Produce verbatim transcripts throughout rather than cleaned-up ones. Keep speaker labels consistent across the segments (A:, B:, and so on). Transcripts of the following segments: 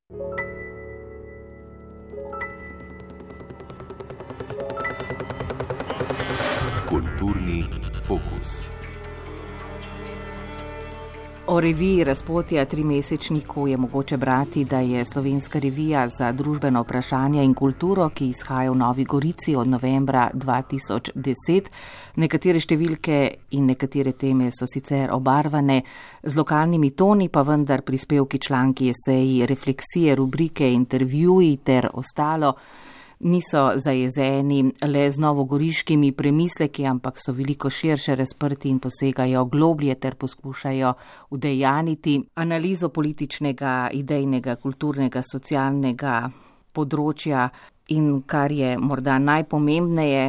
A: Kulturni fokus.
B: O reviji Razpotja trimesečniku je mogoče brati, da je Slovenska revija za družbeno vprašanje in kulturo, ki izhaja v Novi Gorici od novembra dva tisoč deset. Nekatere številke in nekatere teme so sicer obarvane z lokalnimi toni, pa vendar prispevki, članki, eseji, refleksije, rubrike, intervjuji ter ostalo niso zajezeni le z novogoriškimi premisleki, ampak so veliko širše razprti in posegajo globlje ter poskušajo udejaniti analizo političnega, idejnega, kulturnega, socialnega področja in, kar je morda najpomembneje,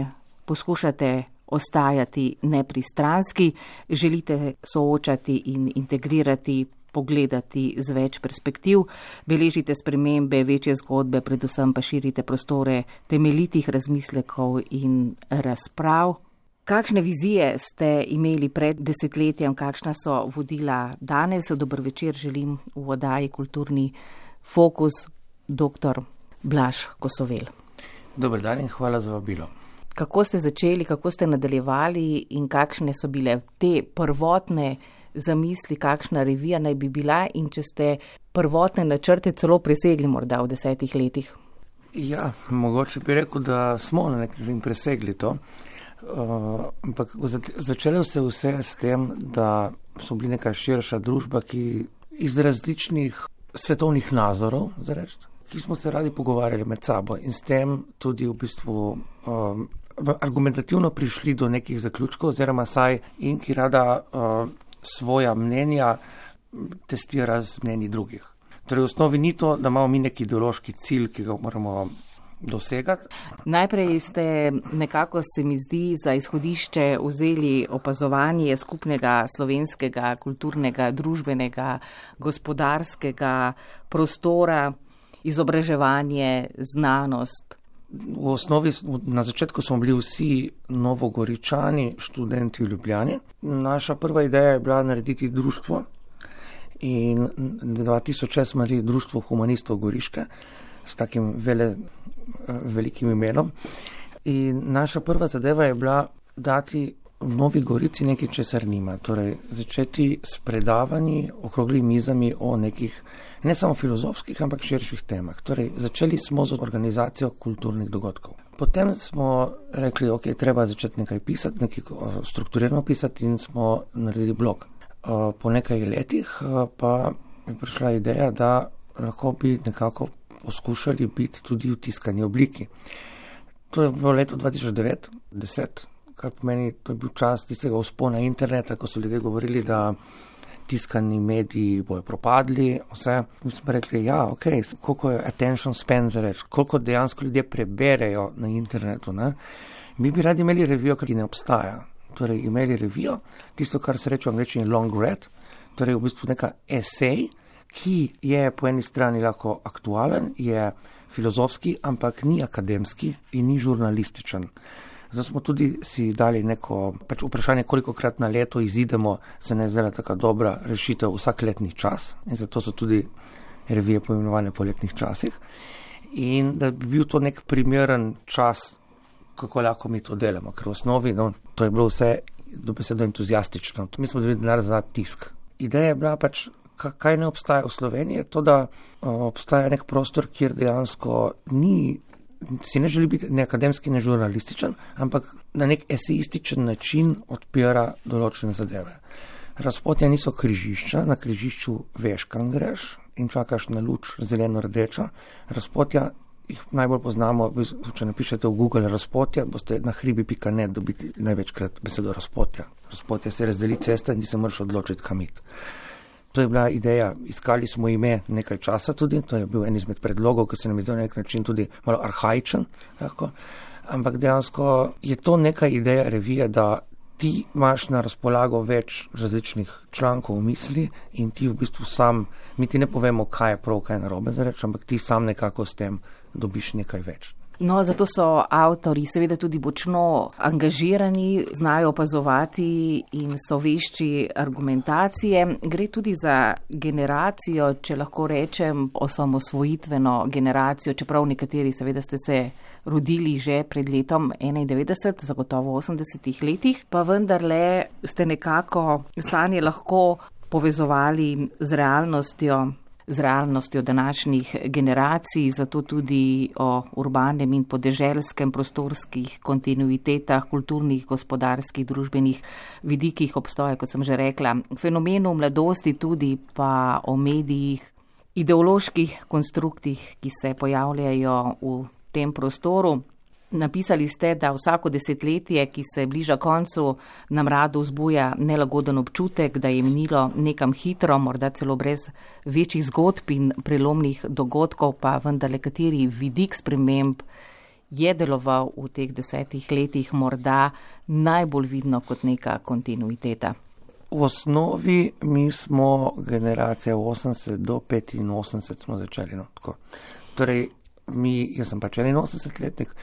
B: poskušate ostajati nepristranski, želite soočati in integrirati, pogledati z več perspektiv, beležite spremembe, večje zgodbe, predvsem pa širite prostore temeljitih razmislekov in razprav. Kakšne vizije ste imeli pred desetletjem, kakšna so vodila danes? Dober večer želim v oddaji Kulturni fokus doktor Blaž Kosovel.
C: Dober dan in hvala za vabilo.
B: Kako ste začeli, kako ste nadaljevali in kakšne so bile te prvotne zamisli, kakšna revija naj bi bila in če ste prvotne načrte celo presegli morda v desetih letih?
C: Ja, mogoče bi rekel, da smo na nek način presegli to, uh, ampak začelo se vse s tem, da so bili neka širša družba, ki iz različnih svetovnih nazorov, zareč, ki smo se radi pogovarjali med sabo in s tem tudi v bistvu um, argumentativno prišli do nekih zaključkov, oziroma saj in ki rada uh, svoja mnenja testira z mnenji drugih. Torej v osnovi ni to, da imamo mi neki ideološki cilj, ki ga moramo dosegati.
B: Najprej ste nekako, se mi zdi, za izhodišče vzeli opazovanje skupnega slovenskega, kulturnega, družbenega, gospodarskega prostora, izobraževanje, znanost.
C: V osnovi na začetku smo bili vsi Novogoričani, študenti v Ljubljani. Naša prva ideja je bila narediti društvo in dva tisoč šest smo naredili društvo humanistov Goriške s takim vele, velikim imenom. In naša prva zadeva je bila dati v Novi Gorici nekaj, česar nima. Torej začeti s predavanji, okrogli mizami o nekih ne samo filozofskih, ampak širših temah. Torej začeli smo z organizacijo kulturnih dogodkov. Potem smo rekli, ok, treba začeti nekaj pisati, nekaj strukturirano pisati in smo naredili blog. Po nekaj letih pa je prišla ideja, da lahko bi nekako poskušali biti tudi v tiskani obliki. To je bilo leto dva tisoč devet deset, kar pomeni, to je bil čas tistega vzpona interneta, ko so ljudje govorili, da tiskani mediji bojo propadli, vse. Mi smo rekli, ja, ok, koliko je attention span za reč, koliko dejansko ljudje preberejo na internetu, ne? Mi bi radi imeli revijo, ki ne obstaja. Torej, imeli revijo, tisto, kar se reče v angleščini long read, torej v bistvu neka esej, ki je po eni strani lahko aktualen, je filozofski, ampak ni akademski in ni žurnalističen. Zato smo tudi si dali neko pač vprašanje, kolikokrat na leto izidemo, se ne zdela taka dobra rešitev vsak letni čas in zato so tudi revije poimenovane po letnih časih. In da bi bil to nek primeren čas, kako lahko mi to delamo, ker v osnovi, no, to je bilo vse dobesedno entuzijastično. Mi smo dobili denar za tisk. Ideja je bila pač, kaj ne obstaja v Sloveniji, to, da obstaja nek prostor, kjer dejansko ni, si ne želi biti ne akademski, ne žurnalističen, ampak na nek esejističen način odpira določene zadeve. Razpotja niso križišča, na križišču veš, kam greš in čakaš na luč zeleno-rdeča. Razpotja jih najbolj poznamo, če napišete v Google razpotja, boste na hribi pika net dobiti največkrat besedo razpotja. Razpotja se razdeli cesta in ti se moraš odločiti, kam iti. To je bila ideja, iskali smo ime nekaj časa tudi, to je bil en izmed predlogov, ki se nam je zdel na nek način tudi malo arhaičen, lahko. Ampak dejansko je to neka ideja revije, da ti imaš na razpolago več različnih člankov v misli in ti v bistvu sam, mi ti ne povemo, kaj je prav, kaj je narobe za reč, ampak ti sam nekako s tem dobiš nekaj več.
B: No, zato so avtorji seveda tudi močno angažirani, znajo opazovati in so vešči argumentacije. Gre tudi za generacijo, če lahko rečem, osamosvojitveno generacijo, čeprav nekateri seveda ste se rodili že pred letom enaindevetdeset, zagotovo v osemdesetih letih, pa vendarle ste nekako sanje lahko povezovali z realnostjo, z realnostjo današnjih generacij, zato tudi o urbanem in podeželskem prostorskih kontinuitetah, kulturnih, gospodarskih, družbenih vidikih obstoja, kot sem že rekla, fenomenu mladosti tudi, pa o medijih, ideoloških konstruktih, ki se pojavljajo v tem prostoru. Napisali ste, da vsako desetletje, ki se bliža koncu, nam rado vzbuja nelagoden občutek, da je minilo nekam hitro, morda celo brez večjih zgodb in prelomnih dogodkov, pa vendarle kateri vidik sprememb je deloval v teh desetih letih morda najbolj vidno kot neka kontinuiteta.
C: V osnovi mi smo generacija osemdeset do petinosemdeset smo začeli. No, tako. Torej, mi, jaz sem pač enainosemdesetletnik,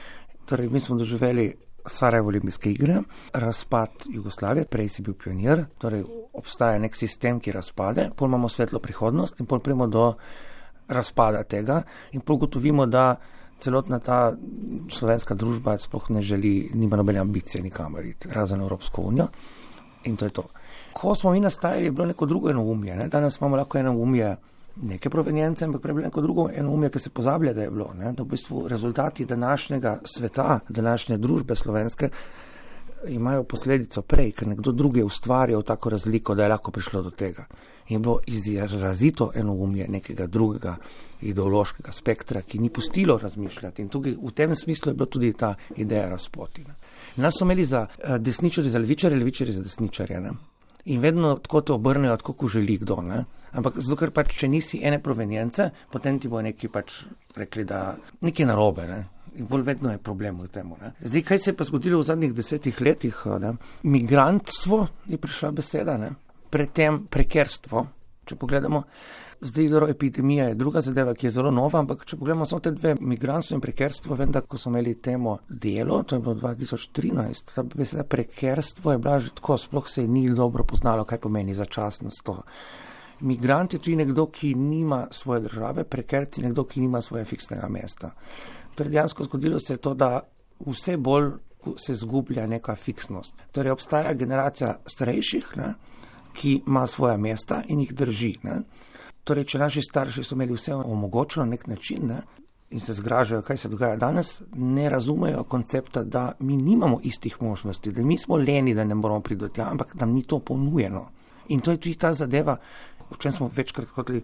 C: torej mi smo doživeli Sarajevo olimpijske igre, razpad Jugoslavije, prej si bil pionir, torej obstaja nek sistem, ki razpade, pol imamo svetlo prihodnost in pol primo do razpada tega in pol gotovimo, da celotna ta slovenska družba sploh ne želi, nima nobene ambicije nikamor iti, razen Evropsko unijo in to je to. Ko smo mi nastajali, je bilo neko drugo enoumje, ne? Danes imamo lahko enoumje neke provenjence, ampak prej bilo neko drugo enoumje, ki se pozablja, da je bilo, ne? Da v bistvu rezultati današnjega sveta, današnje družbe slovenske imajo posledico prej, ker nekdo drugi je ustvarjal tako razliko, da je lahko prišlo do tega. Je bilo izrazito enoumje nekega drugega ideološkega spektra, ki ni pustilo razmišljati in tukaj v tem smislu je bila tudi ta ideja razpoti. Ne? Nas so imeli za desničarje, za levičarje, levičarje za desničarje, ne? In vedno tako te obrnejo, tako ko želi kdo, ne? Ampak zato, ker pač, če nisi ene provenjence, potem ti bo neki pač rekli, da nekaj narobe, ne? In bolj vedno je problem v tem. Zdaj, kaj se je pa zgodilo v zadnjih desetih letih? Ne? Migrantstvo je prišla beseda, ne? Predtem prekerstvo, če pogledamo. Zdaj, epidemija je druga zadeva, ki je zelo nova, ampak če pogledamo samo te dve, migrantstvo in prekerstvo, vem, da ko smo imeli temo delo, to je bilo dva tisoč trinajst, ta beseda prekerstvo je bila že tako, sploh se ni dobro poznalo, kaj pomeni začasnost to. Migrant je tudi nekdo, ki nima svoje države, prekerci nekdo, ki nima svoje fiksnega mesta. Torej, dejansko zgodilo se je to, da vse bolj se zgublja neka fiksnost. Torej, obstaja generacija starejših, ne, ki ima svoja mesta in jih drži. Ne. Torej, če naši starši so imeli vse omogočeno na nek način, ne, in se zgražajo, kaj se dogaja danes, ne razumejo koncepta, da mi nimamo istih možnosti, da mi smo leni, da ne moramo priti do tja, ampak nam ni to ponujeno. In to je tudi ta zadeva, o čem smo večkrat hoteli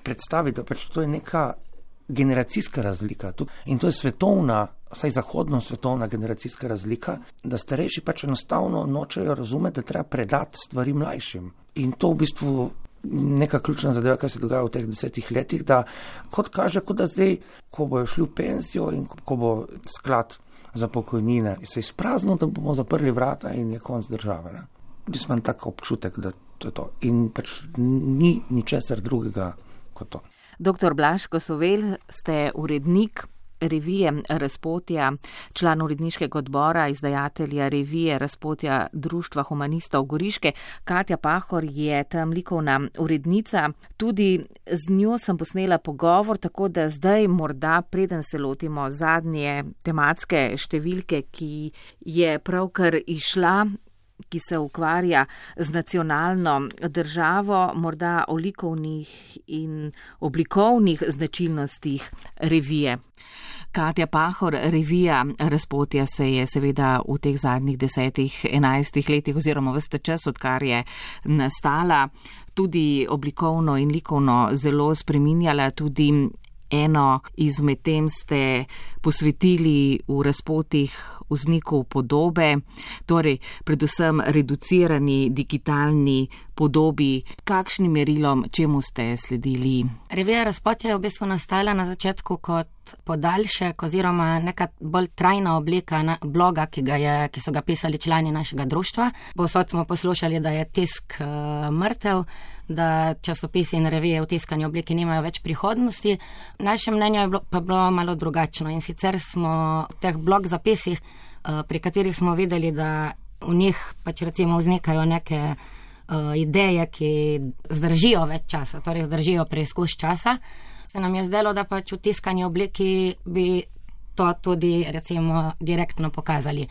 C: predstaviti, da pač to je neka generacijska razlika. In to je svetovna, vsaj zahodno svetovna generacijska razlika, da starejši pač enostavno nočejo razumeti, da treba predati stvari mlajšim. In to v bistvu neka ključna zadeva, kaj se dogaja v teh desetih letih, da kot kaže, kot da zdaj, ko bojo šli v penzijo in ko bo sklad za pokojnine se izpraznil, da bomo zaprli vrata in je konc države. Ne? Mislim, imam tak občutek, da to je to. In pač ni ničesar drugega kot to.
B: Doktor Blaž Kosovel, ste urednik revije Razpotja, član uredniškega odbora, izdajatelja revije Razpotja Društva humanistov Goriške. Katja Pahor je tam likovna urednica. Tudi z njo sem posnela pogovor, tako da zdaj morda, preden se lotimo zadnje tematske številke, ki je pravkar išla, ki se ukvarja z nacionalno državo, morda o likovnih in oblikovnih značilnostih revije. Katja Pahor, revija Razpotja se je seveda v teh zadnjih desetih, enajstih letih oziroma ves ta čas, odkar je nastala, tudi oblikovno in likovno zelo spreminjala, tudi eno izmed tem ste posvetili v Razpotjih vzniku podobe, torej predvsem reducirani digitalni podobi. Kakšnim merilom, čemu ste sledili?
D: Revija Razpotje je v bistvu nastala na začetku kot podaljšek oziroma neka bolj trajna oblika bloga, ki, ga je, ki so ga pisali člani našega društva. Povsod smo poslušali, da je tisk uh, mrtev, da časopisi in revije v tiskani obliki nimajo več prihodnosti. Naše mnenje je bilo, pa bilo malo drugačno in sicer smo v teh blog zapisih, uh, pri katerih smo videli, da v njih pač recimo vznikajo neke uh, ideje, ki zdržijo več časa, torej zdržijo preizkus časa. Se nam je zdelo, da pač v tiskani obliki bi to tudi recimo direktno pokazali.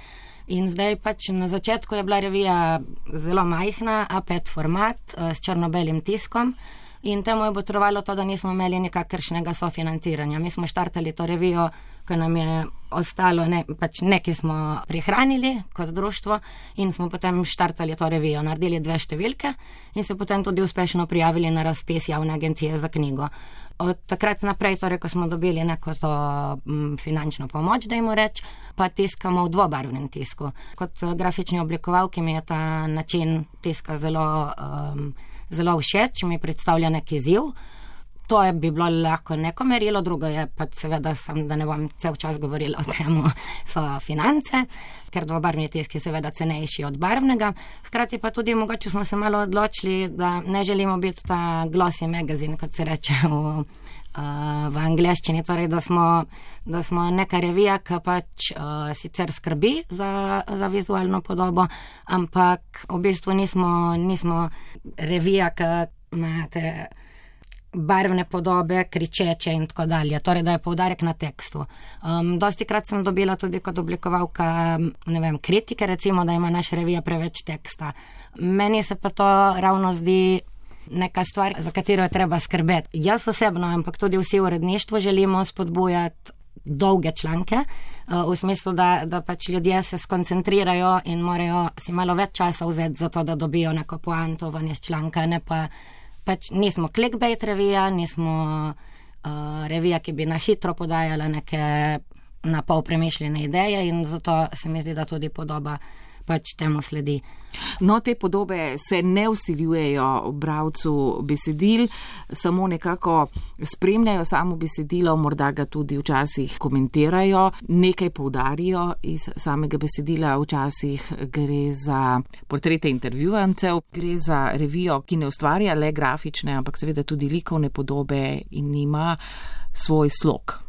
D: In zdaj pač na začetku je bila revija zelo majhna, A pet format s črno-belim tiskom in temu je potrebovalo to, da nismo imeli nikakršnega sofinanciranja. Mi smo štartali to revijo, ko nam je ostalo, ne, pač nekaj smo prihranili kot društvo in smo potem štartali to revijo, naredili dve številke in se potem tudi uspešno prijavili na razpis javne agencije za knjigo. Od takrat naprej, torej, ko smo dobili neko to m, finančno pomoč, dajmo reči, pa tiskamo v dvobarvnem tisku. Kot grafični oblikovalki mi je ta način tiska zelo, um, zelo všeč, mi predstavlja neki izziv. To je bi bilo lahko neko merilo, drugo je pa seveda, sem, da ne bom cel čas govorila o tem, so finance, ker dvobarvni tisk je seveda cenejši od barvnega. Hkrati pa tudi mogoče smo se malo odločili, da ne želimo biti ta glossy magazine, kot se reče v, v angleščini, torej da smo, da smo neka revija, ki pač uh, sicer skrbi za, za vizualno podobo, ampak v bistvu nismo, nismo revija, ki imate barvne podobe, kričeče in tako dalje. Torej, da je poudarek na tekstu. Um, dosti krat sem dobila tudi kot oblikovalka, ne vem, kritike, recimo, da ima naša revija preveč teksta. Meni se pa to ravno zdi neka stvar, za katero je treba skrbeti. Jaz osebno, ampak tudi vsi v uredništvu želimo spodbujati dolge članke, uh, v smislu, da, da pač ljudje se skoncentrirajo in morajo si malo več časa vzeti za to, da dobijo neko poanto ven iz članka, ne pa pač nismo clickbait revija, nismo uh, revija, ki bi na hitro podajala neke na pol premišljene ideje in zato se mi zdi, da tudi podoba pač temu sledi.
B: No, te podobe se ne vsiljujejo bralcu besedil, samo nekako spremljajo samo besedilo, morda ga tudi včasih komentirajo, nekaj poudarijo iz samega besedila, včasih gre za portrete intervjuvancev, gre za revijo, ki ne ustvarja le grafične, ampak seveda tudi likovne podobe in ima svoj slog.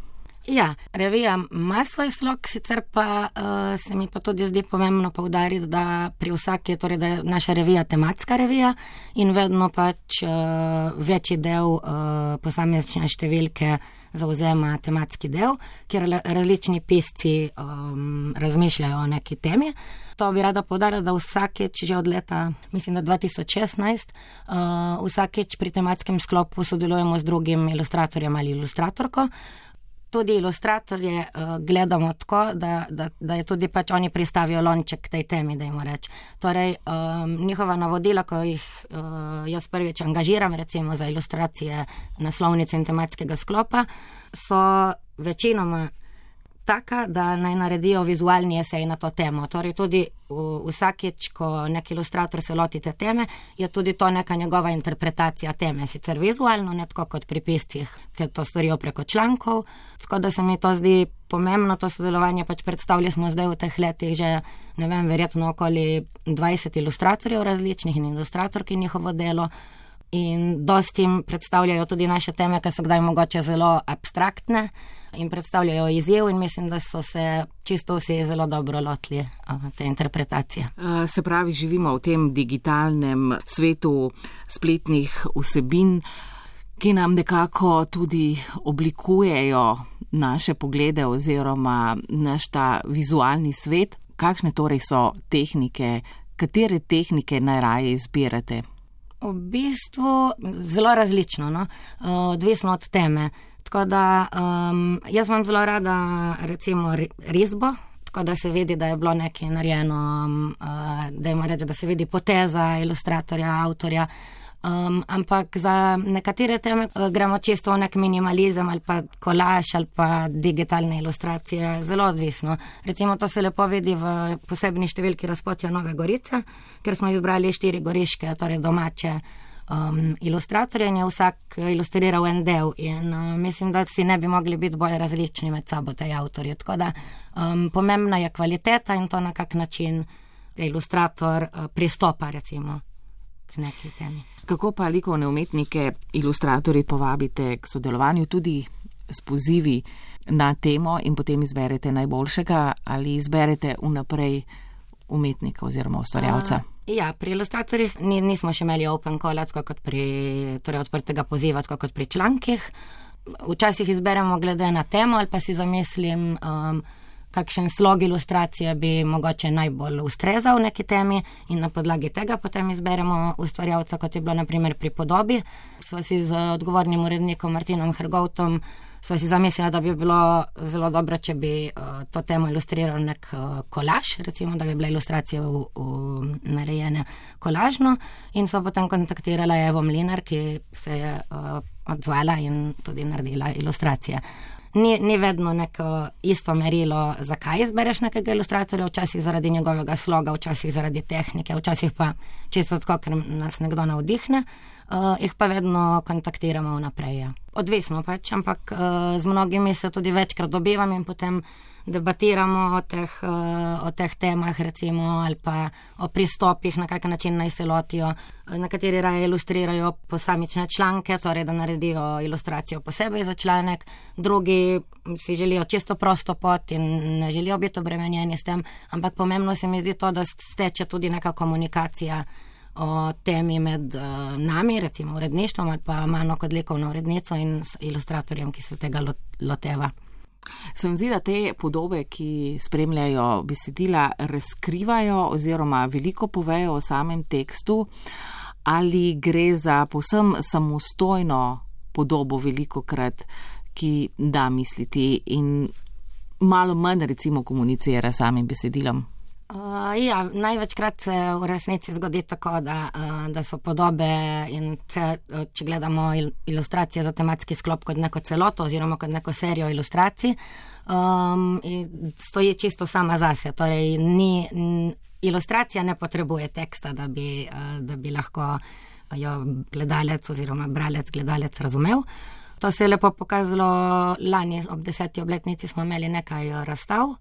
D: Ja, revija ima svoj slog, sicer pa uh, se mi pa tudi zdi pomembno poudariti, da pri vsaki, torej da je naša revija tematska revija in vedno pač uh, večji del uh, posamezne številke zauzema tematski del, kjer različni pisci um, razmišljajo o neki temi. To bi rada poudarila, da vsakeč že od leta, mislim, da dva tisoč šestnajst, uh, vsakeč pri tematskem sklopu sodelujemo z drugim ilustratorjem ali ilustratorko. Tudi ilustratorje uh, gledamo tako, da, da, da je tudi pač oni pristavijo lonček tej temi, dajmo reči. Torej, um, njihova navodila, ko jih uh, jaz prvič angažiram, recimo za ilustracije naslovnice in tematskega sklopa, so večinoma taka, da naj naredijo vizualni esej na to temo. Torej tudi vsakeč, ko nek ilustrator se loti te teme, je tudi to neka njegova interpretacija teme. Sicer vizualno, ne tako kot pri piscih, ker to storijo preko člankov. Tako da se mi to zdi pomembno, to sodelovanje pač predstavili smo zdaj v teh letih že, ne vem, verjetno okoli dvajset ilustratorjev različnih in ilustratorki njihovo delo. In dosti jim predstavljajo tudi naše teme, ki so kdaj mogoče zelo abstraktne in predstavljajo izziv in mislim, da so se čisto vsi zelo dobro lotili te interpretacije.
B: Se pravi, živimo v tem digitalnem svetu spletnih vsebin, ki nam nekako tudi oblikujejo naše poglede oziroma naš ta vizualni svet. Kakšne torej so tehnike, katere tehnike najraje izbirate?
D: V bistvu zelo različno, no? Odvisno od teme. Tako da um, jaz imam zelo rada recimo risbo, tako da se vidi, da je bilo nekaj narejeno, um, uh, da ima reči, da se vidi poteza ilustratorja, avtorja. Um, ampak za nekatere teme uh, gremo čisto v nek minimalizem ali pa kolaž ali pa digitalne ilustracije, zelo odvisno. Recimo to se lepo vidi v posebni številki Razpotja Nove Gorice, ker smo izbrali štiri goriške, torej domače um, ilustratorje in je vsak ilustriral en del in uh, mislim, da si ne bi mogli biti bolj različni med sabo tej avtorji. Tako da um, pomembna je kvaliteta in to, na kak način ilustrator uh, pristopa recimo k neki temi.
B: Kako pa likovne umetnike, ilustratorji povabite k sodelovanju tudi s pozivi na temo in potem izberete najboljšega ali izberete vnaprej umetnika oziroma ustvarjalca?
D: Uh, ja, pri ilustratorjih ni, nismo še imeli open calla, tako kot pri, torej odprtega poziva, tako kot pri člankih. Včasih izberemo glede na temo ali pa si zamislim, um, kakšen slog ilustracije bi mogoče najbolj ustrezal neki temi in na podlagi tega potem izberemo ustvarjalca, kot je bilo na primer pri Podobi. Sva si z odgovornim urednikom Martinom Hrgovtom sva si zamislila, da bi bilo zelo dobro, če bi uh, to temo ilustriral nek uh, kolaž, recimo, da bi bila ilustracija v, v narejene kolažno in sva potem kontaktirala Evo Mlinar, ki se je uh, odzvala in tudi naredila ilustracije. Ni, ni vedno neko isto merilo, zakaj izbereš nekega ilustratorja, včasih zaradi njegovega sloga, včasih zaradi tehnike, včasih pa čisto tako, ker nas nekdo navdihne, uh, jih pa vedno kontaktiramo vnaprej. Ja. Odvisno pač, ampak uh, z mnogimi se tudi večkrat dobivam in potem debatiramo o teh, uh, o teh temah recimo ali pa o pristopih, na kak način naj se lotijo. Nekateri raje ilustrirajo posamične članke, torej da naredijo ilustracijo posebej za članek, drugi si želijo čisto prosto pot in ne želijo biti obremenjeni s tem, ampak pomembno se mi zdi to, da steče tudi neka komunikacija o temi med uh, nami, recimo uredništvom ali pa mano kot likovno urednico in ilustratorjem, ki se tega loteva.
B: Se mi zdi, da te podobe, ki spremljajo besedila, razkrivajo oziroma veliko povejo o samem tekstu, ali gre za povsem samostojno podobo velikokrat, ki da misliti in malo manj recimo komunicira samim besedilom?
D: Uh, ja, največkrat se v resnici zgodi tako, da, uh, da so podobe in ce, če gledamo il, ilustracije za tematski sklop kot neko celoto oziroma kot neko serijo ilustracij, um, stoji čisto sama zase. Torej, ni, n, ilustracija ne potrebuje teksta, da bi, uh, da bi lahko jo gledalec oziroma bralec, gledalec razumel. To se je lepo pokazalo lani ob deseti obletnici, smo imeli nekaj razstav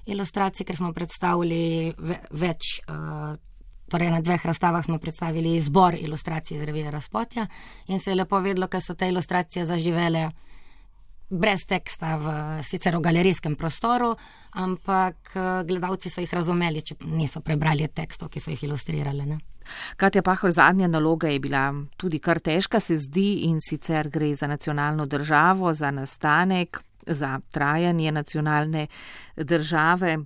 D: ilustracij, ker smo predstavili več, torej na dveh razstavah smo predstavili izbor ilustracij iz revije Razpotja in se je lepo vedlo, ker so te ilustracije zaživele brez teksta v sicer v galerijskem prostoru, ampak gledalci so jih razumeli, če niso prebrali tekstov, ki so jih ilustrirali. Ne?
B: Katja Pahor, zadnja naloga je bila tudi kar težka, se zdi, in sicer gre za nacionalno državo, za nastanek, za trajanje nacionalne države.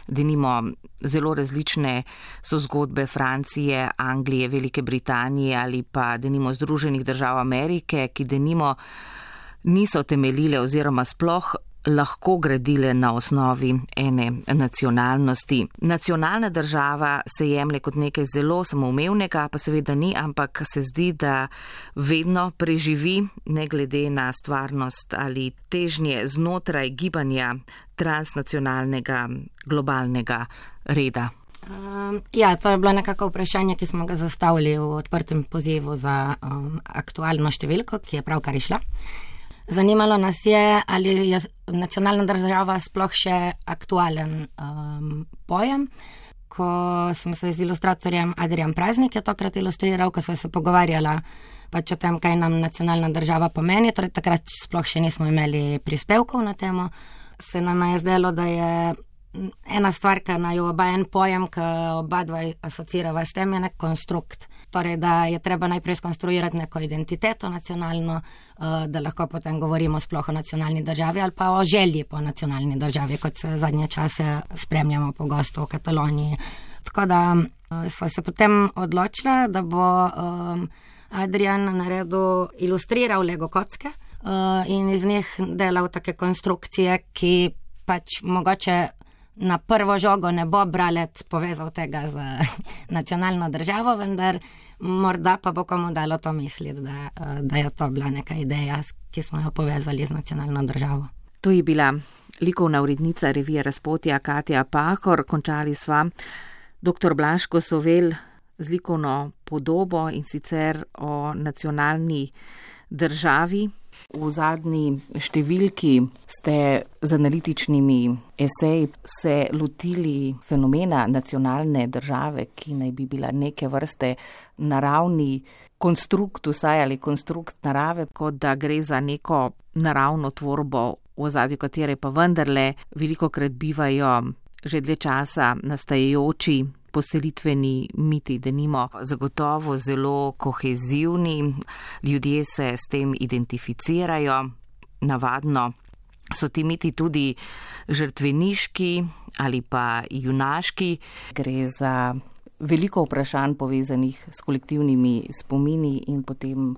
B: Denimo zelo različne so zgodbe Francije, Anglije, Velike Britanije ali pa denimo Združenih držav Amerike, ki denimo niso temeljile oziroma sploh lahko gradile na osnovi ene nacionalnosti. Nacionalna država se jemlje kot nekaj zelo samoumevnega, pa seveda ni, ampak se zdi, da vedno preživi, ne glede na stvarnost ali težnje znotraj gibanja transnacionalnega globalnega reda.
D: Um, ja, to je bilo nekako vprašanje, ki smo ga zastavili v odprtem pozivu za um, aktualno številko, ki je pravkar išla. Zanimalo nas je, ali je nacionalna država sploh še aktualen um, pojem. Ko sem se z ilustratorjem Adrijan Praznik je tokrat ilustriral, ko smo se pogovarjala pač o tem, kaj nam nacionalna država pomeni, torej takrat sploh še nismo imeli prispevkov na temo, se nam je zdelo, da je ena stvar, ki naju oba en pojem, ki oba dva asocirava s tem, je nek konstrukt. Torej, da je treba najprej skonstruirati neko identiteto nacionalno, da lahko potem govorimo sploh o nacionalni državi ali pa o želji po nacionalni državi, kot se zadnje čase spremljamo pogosto v Kataloniji. Tako da sva se potem odločila, da bo um, Adrijan naredil, ilustriral Lego kocke uh, in iz njih delal take konstrukcije, ki pač mogoče na prvo žogo ne bo bralec povezal tega z nacionalno državo, vendar morda pa bo komu dalo to misliti, da, da je to bila neka ideja, ki smo jo povezali z nacionalno državo.
B: To je bila likovna urednica revije Razpotja Katja Pahor. Končali sva doktor Blaško Sovel z likovno podobo in sicer o nacionalni državi. V zadnji številki ste z analitičnimi eseji se lotili fenomena nacionalne države, ki naj bi bila neke vrste naravni konstrukt, vsaj ali konstrukt narave, kot da gre za neko naravno tvorbo, v ozadju katere pa vendarle velikokrat bivajo že dlje časa nastajajoči poselitveni miti, denimo zagotovo zelo kohezivni, ljudje se s tem identificirajo, navadno so ti miti tudi žrtveniški ali pa junaški. Gre za veliko vprašanj povezanih s kolektivnimi spomini in potem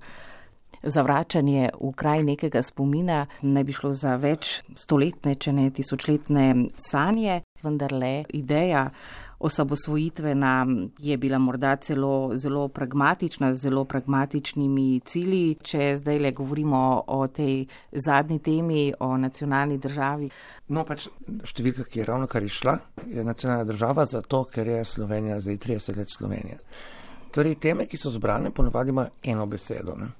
B: zavračanje v kraj nekega spomina. Naj bi šlo za več stoletne, če ne tisočletne sanje, vendarle ideja osamosvojitvena je bila morda celo zelo pragmatična, z zelo pragmatičnimi cilji. Če zdaj le govorimo o tej zadnji temi, o nacionalni državi.
C: No, pač številka, ki je ravno kar išla, je nacionalna država, zato ker je Slovenija zdaj trideset let Slovenija. Torej, teme, ki so zbrane, ponavadi ima eno besedo, ne?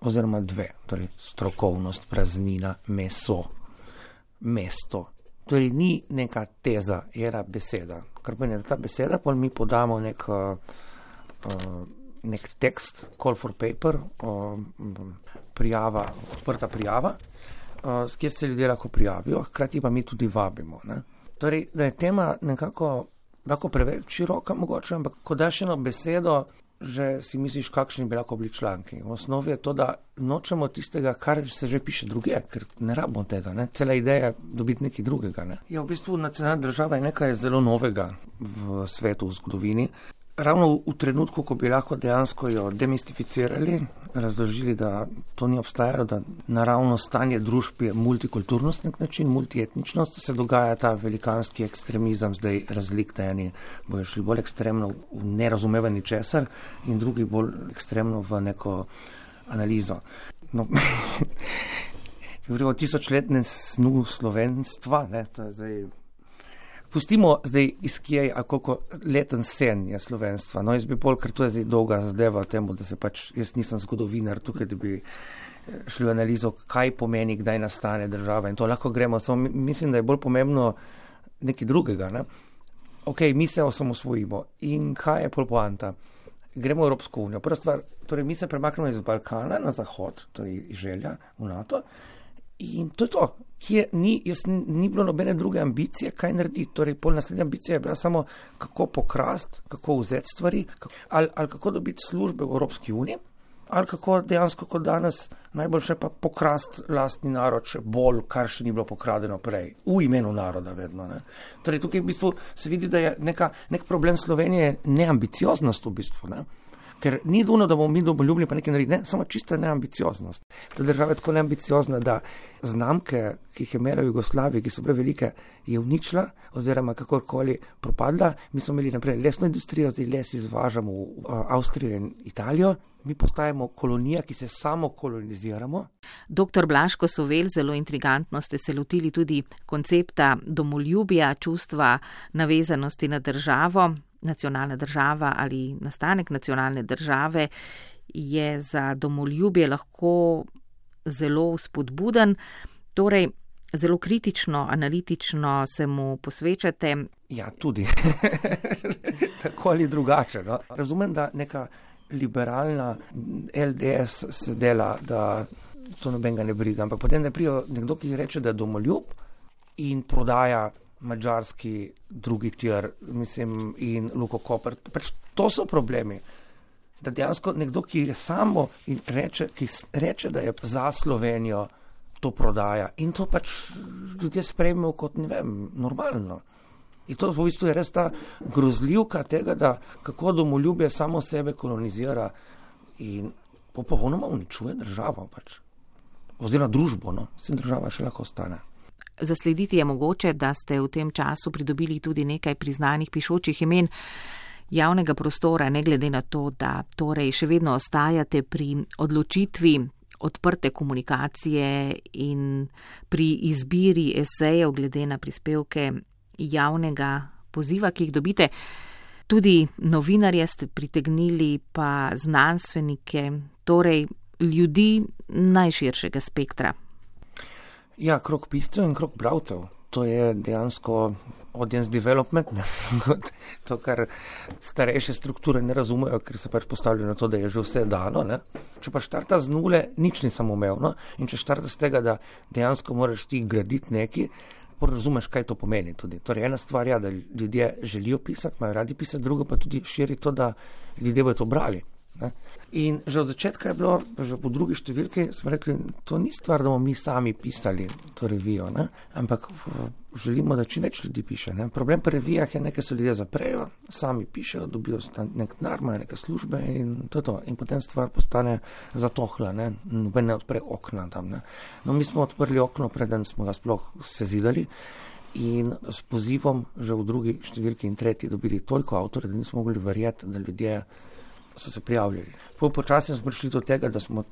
C: Oziroma dve, torej strokovnost, praznina, meso, mesto. Torej ni neka teza, je ena beseda. Kar pomeni, da ta beseda, pa mi podamo nek, uh, nek tekst, call for paper, uh, prijava, odprta prijava, uh, s kjer se ljudje lahko prijavijo, hkrati pa mi tudi vabimo. Ne? Torej, da je tema nekako lahko preveč široka mogoče, ampak ko daš eno besedo, že si misliš, kakšni bi lahko bili članki. V osnovi je to, da nočemo tistega, kar se že piše druge, ker ne rabimo tega. Ne? Cela ideja je dobiti nekaj drugega. Ne? Ja, v bistvu nacionalna država je nekaj zelo novega v svetu, v zgodovini. Ravno v, v trenutku, ko bi lahko dejansko jo demistificirali, razložili, da to ni obstajalo, da naravno stanje družb je multikulturnost nek način, multietničnost, se dogaja ta velikanski ekstremizem, zdaj razlik, da eni bojo šli bolj ekstremno v nerazumevanje česar in drugi bolj ekstremno v neko analizo. No, govorimo o tisočletnem snu slovenstva, ne, to je zdaj... Pustimo zdaj iz kje, a koliko leten sen je slovenstva. No, jaz bi bolj, ker to je zdaj dolga zadeva temu, da se pač, jaz nisem zgodovinar tukaj, da bi šli v analizo, kaj pomeni, kdaj nastane država in to lahko gremo. Samo mislim, da je bolj pomembno nekaj drugega. Ne? Ok, mi se osamosvojimo in kaj je pol poanta? Gremo v Evropsko unijo. Prva stvar, torej mi se premaknemo iz Balkana na zahod, to je želja v NATO, in to je to. Kje ni, jaz, ni bilo nobene druge ambicije, kaj narediti. Torej, pol naslednja ambicija je bila samo, kako pokrast, kako vzeti stvari, kako, ali, ali kako dobiti službe v Evropski uniji, ali kako dejansko kot danes najboljše pa pokrast lastni narod še bolj, kar še ni bilo pokradeno prej. V imenu naroda vedno. Ne? Torej, tukaj v bistvu se vidi, da je neka, nek problem Slovenije neambicioznost v bistvu, ne? Ker ni duno, da bomo mi domoljubni pa nekaj narediti, ne, samo čista neambicioznost. Ta država je tako neambiciozna, da znamke, ki jih je imela v Jugoslaviji, ki so bile velike, je uničila oziroma kakorkoli propadla. Mi smo imeli naprej lesno industrijo, zdaj les izvažamo v Avstrijo in Italijo. Mi postajamo kolonija, ki se samo koloniziramo.
B: Doktor Blaško Sovel, zelo intrigantno ste se lotili tudi koncepta domoljubja, čustva navezanosti na državo. Nacionalna država ali nastanek nacionalne države je za domoljubje lahko zelo spodbuden, torej zelo kritično, analitično se mu posvečate.
C: Ja, tudi. Tako ali drugače. No? Razumem, da neka liberalna L D S se dela, da to nobenega ne briga, ampak potem ne prijo nekdo, ki reče, da je domoljub in prodaja mađarski drugi tir, mislim, in Luko Koper. Pač to so problemi. Da dejansko nekdo, ki je samo in reče, ki reče, da je za Slovenijo, to prodaja. In to pač ljudje sprejmejo kot, ne vem, normalno. In to v bistvu je res ta grozljivka tega, da kako domoljubje samo sebe kolonizira in popolnoma uničuje državo pač. Oziroma družbo, no. Vse država še lahko ostane.
B: Zaslediti je mogoče, da ste v tem času pridobili tudi nekaj priznanih pišočih imen javnega prostora, ne glede na to, da torej še vedno ostajate pri odločitvi odprte komunikacije in pri izbiri esejev glede na prispevke javnega poziva, ki jih dobite. Tudi novinarje ste pritegnili, pa znanstvenike, torej ljudi najširšega spektra.
C: Ja, krog piscev in krog bralcev. To je dejansko audience development, ne? To, kar starejše strukture ne razumejo, ker se pač postavljajo na to, da je že vse dano. Ne? Če pa štarta z nule, nič ni samoumevno. In če štarta z tega, da dejansko moraš ti graditi neki, razumeš, kaj to pomeni tudi. Torej, ena stvar je, da ljudje želijo pisati, imajo radi pisati, drugo pa tudi širi to, da ljudje bodo to brali. Ne? In že od začetka je bilo, že po drugi številki, smo rekli, to ni stvar, da bomo mi sami pisali to revijo, ne? Ampak želimo, da čim več ljudi piše. Ne? Problem pri revijah je, nekaj so ljudje zaprejo, sami pišejo, dobijo nek denar, imajo neke službe in to je to. In potem stvar postane zatohla, ne, noben ne odpre okna tam. Ne? No, mi smo odprli okno, preden smo ga sploh sezidali in s pozivom že v drugi številki in tretji dobili toliko avtorjev, da nismo mogli verjeti, da ljudje so se prijavljali. Po počasi smo prišli do tega, da smo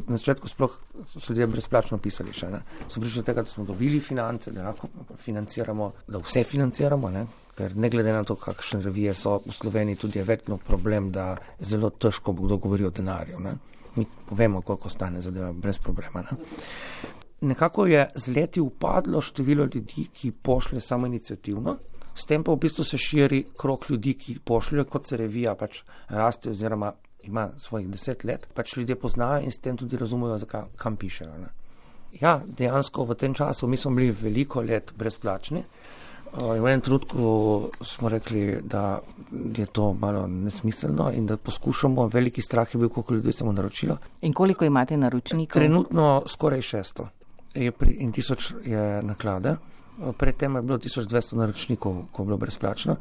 C: na začetku sploh so ljudje brezplačno pisali še. Ne? Smo prišli do tega, da smo dobili finance, da lahko financiramo, da vse financiramo, ne? Ker ne glede na to, kakšne revije so v Sloveniji, tudi je vedno problem, da zelo težko bo kdo govori o denarju. Ne? Mi povemo, koliko stane zadeva brez problema. Ne? Nekako je z leti upadlo število ljudi, ki pošlje samo iniciativno. S tem pa v bistvu se širi krog ljudi, ki pošljajo, kot se revija pač raste oziroma ima svojih deset let, pač ljudje poznajo in s tem tudi razumejo, zakaj, kam pišejo. Ne? Ja, dejansko v tem času mi smo bili veliko let brezplačni. V enem trenutku smo rekli, da je to malo nesmiselno in da poskušamo, veliki strah je bil, koliko ljudi se mu naročilo.
B: In koliko imate naročnikov?
C: Trenutno skoraj šeststo je pri, in tisoč je naklade. Predtem je bilo tisoč dvesto naročnikov, ko je bilo brezplačno.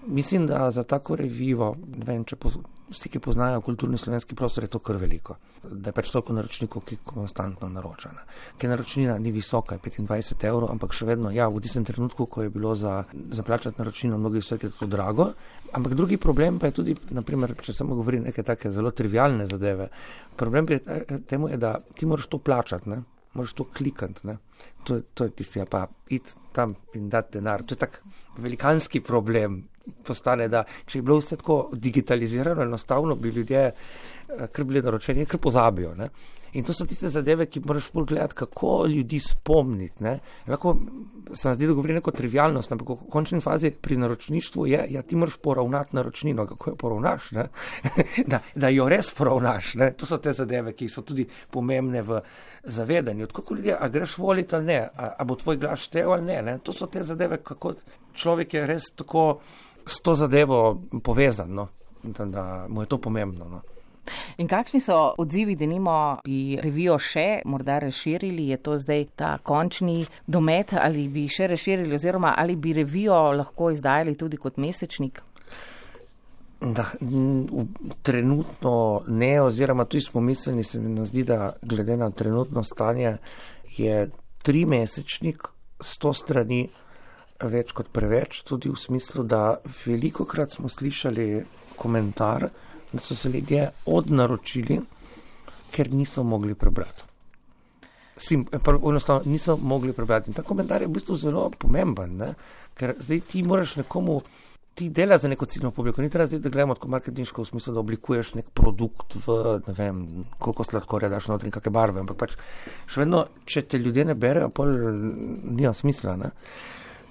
C: Mislim, da za tako revijo, ne vem, če poz, vsi, ki poznajo kulturni slovenski prostor, je to kar veliko. Da je pač toliko naročnikov, ki konstantno naročajo. Ker naročnina ni visoka, je petindvajset evrov, ampak še vedno, ja, v tistem trenutku, ko je bilo za, za plačati naročnino, mnogi vse je to drago. Ampak drugi problem pa je tudi, naprimer, če samo govorim neke take zelo trivialne zadeve, problem pri temu je, da ti moraš to plačati, ne? Moraš to klikati, ne? To, to je tisti, ja, pa iti tam in dati denar. To je tak velikanski problem postane, da če je bilo vse tako digitalizirano, enostavno bi ljudje, kar bili naročeni, kar pozabijo, ne? In to so tiste zadeve, ki moraš bolj gledati, kako ljudi spomniti, ne? Lahko se nam zdi, da govori neko trivialnost, ampak v končni fazi pri naročništvu je, ja, ti moraš poravnati naročnino, kako jo poravnaš, ne? da, da jo res poravnaš, ne? To so te zadeve, ki so tudi pomembne v zavedanju. Kako ljudje, a greš voliti ali ne, a, a bo tvoj glas štev ali ne, ne? To so te zadeve, kako človek je res tako s to zadevo povezan, no? da, da mu je to pomembno, no?
B: In kakšni so odzivi, da nimo bi revijo še morda razširili? Je to zdaj ta končni domet ali bi še razširili oziroma ali bi revijo lahko izdajali tudi kot mesečnik?
C: Da, trenutno ne, oziroma tudi smo mislili, se mi zdi, da glede na trenutno stanje je tri mesečnik, sto strani več kot preveč, tudi v smislu, da velikokrat smo slišali komentar, da so se ljudje odnaročili, ker niso mogli prebrati. Sim, enostavno niso mogli prebrati. In ta komentar je v bistvu zelo pomemben, ne? Ker zdaj ti moraš nekomu, ti dela za neko ciljno publiko, ni treba zdaj, da gledamo tako marketinško v smislu, da oblikuješ nek produkt v, ne vem, koliko sladkorja daš notri in kakšne barve, ampak pač še vedno, če te ljudje ne berejo, pol nima smisla, ne?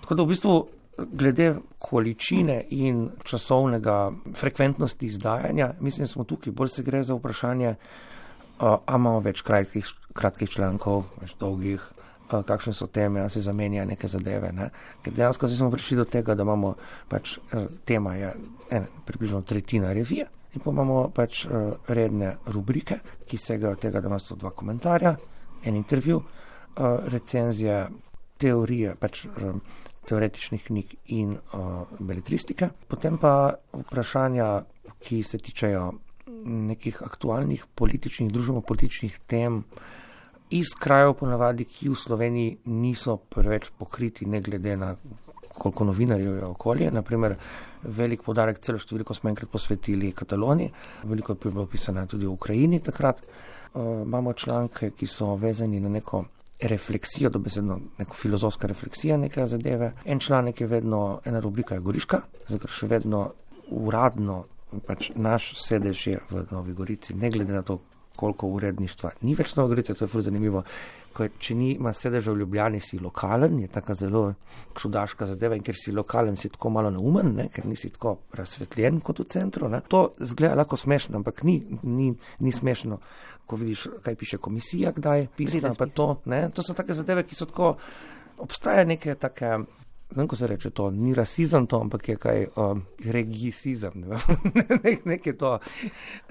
C: Tako da v bistvu glede količine in časovnega frekventnosti izdajanja, mislim, smo tukaj, bolj se gre za vprašanje, a imamo več kratkih, kratkih člankov, več dolgih, a, kakšne so teme, a se zamenja neke zadeve, ne? Ker dejansko smo prišli do tega, da imamo pač, tema je ene, približno tretjina revije in pa imamo pač redne rubrike, ki segajo tega, da ima sto dva komentarja, en intervju, recenzije, teorije, pač teoretičnih knjig in uh, beletristike. Potem pa vprašanja, ki se tičejo nekih aktualnih političnih, družbeno-političnih tem iz krajev ponavadi, ki v Sloveniji niso preveč pokriti, ne glede na koliko novinarjev je okolje. Naprimer, velik podarek, celo številko smo enkrat posvetili Kataloniji, veliko je bilo pisano tudi v Ukrajini takrat. Uh, imamo članke, ki so vezani na neko refleksijo, dobesedno neko filozofska refleksija neke zadeve. En članek je vedno, ena rubrika je Goriška, zato še vedno uradno pač naš sedež je v Novi Gorici, ne glede na to, koliko uredništva ni več Nova Gorica, to je ful zanimivo, ko je, če ni ima sedeža v Ljubljani, si lokalen, je taka zelo čudaška zadeva in ker si lokalen, si tako malo neumen, ne, ker nisi tako razsvetljen kot v centru, ne. To zgleda lahko smešno, ampak ni, ni, ni smešno, ko vidiš, kaj piše komisija, kdaj pisna, pa to, ne, to so take zadeve, ki so tako, obstaja neke take, ne vem, ko se reče to, ni rasizem to, ampak je kaj um, regisizem, ne, nekaj to,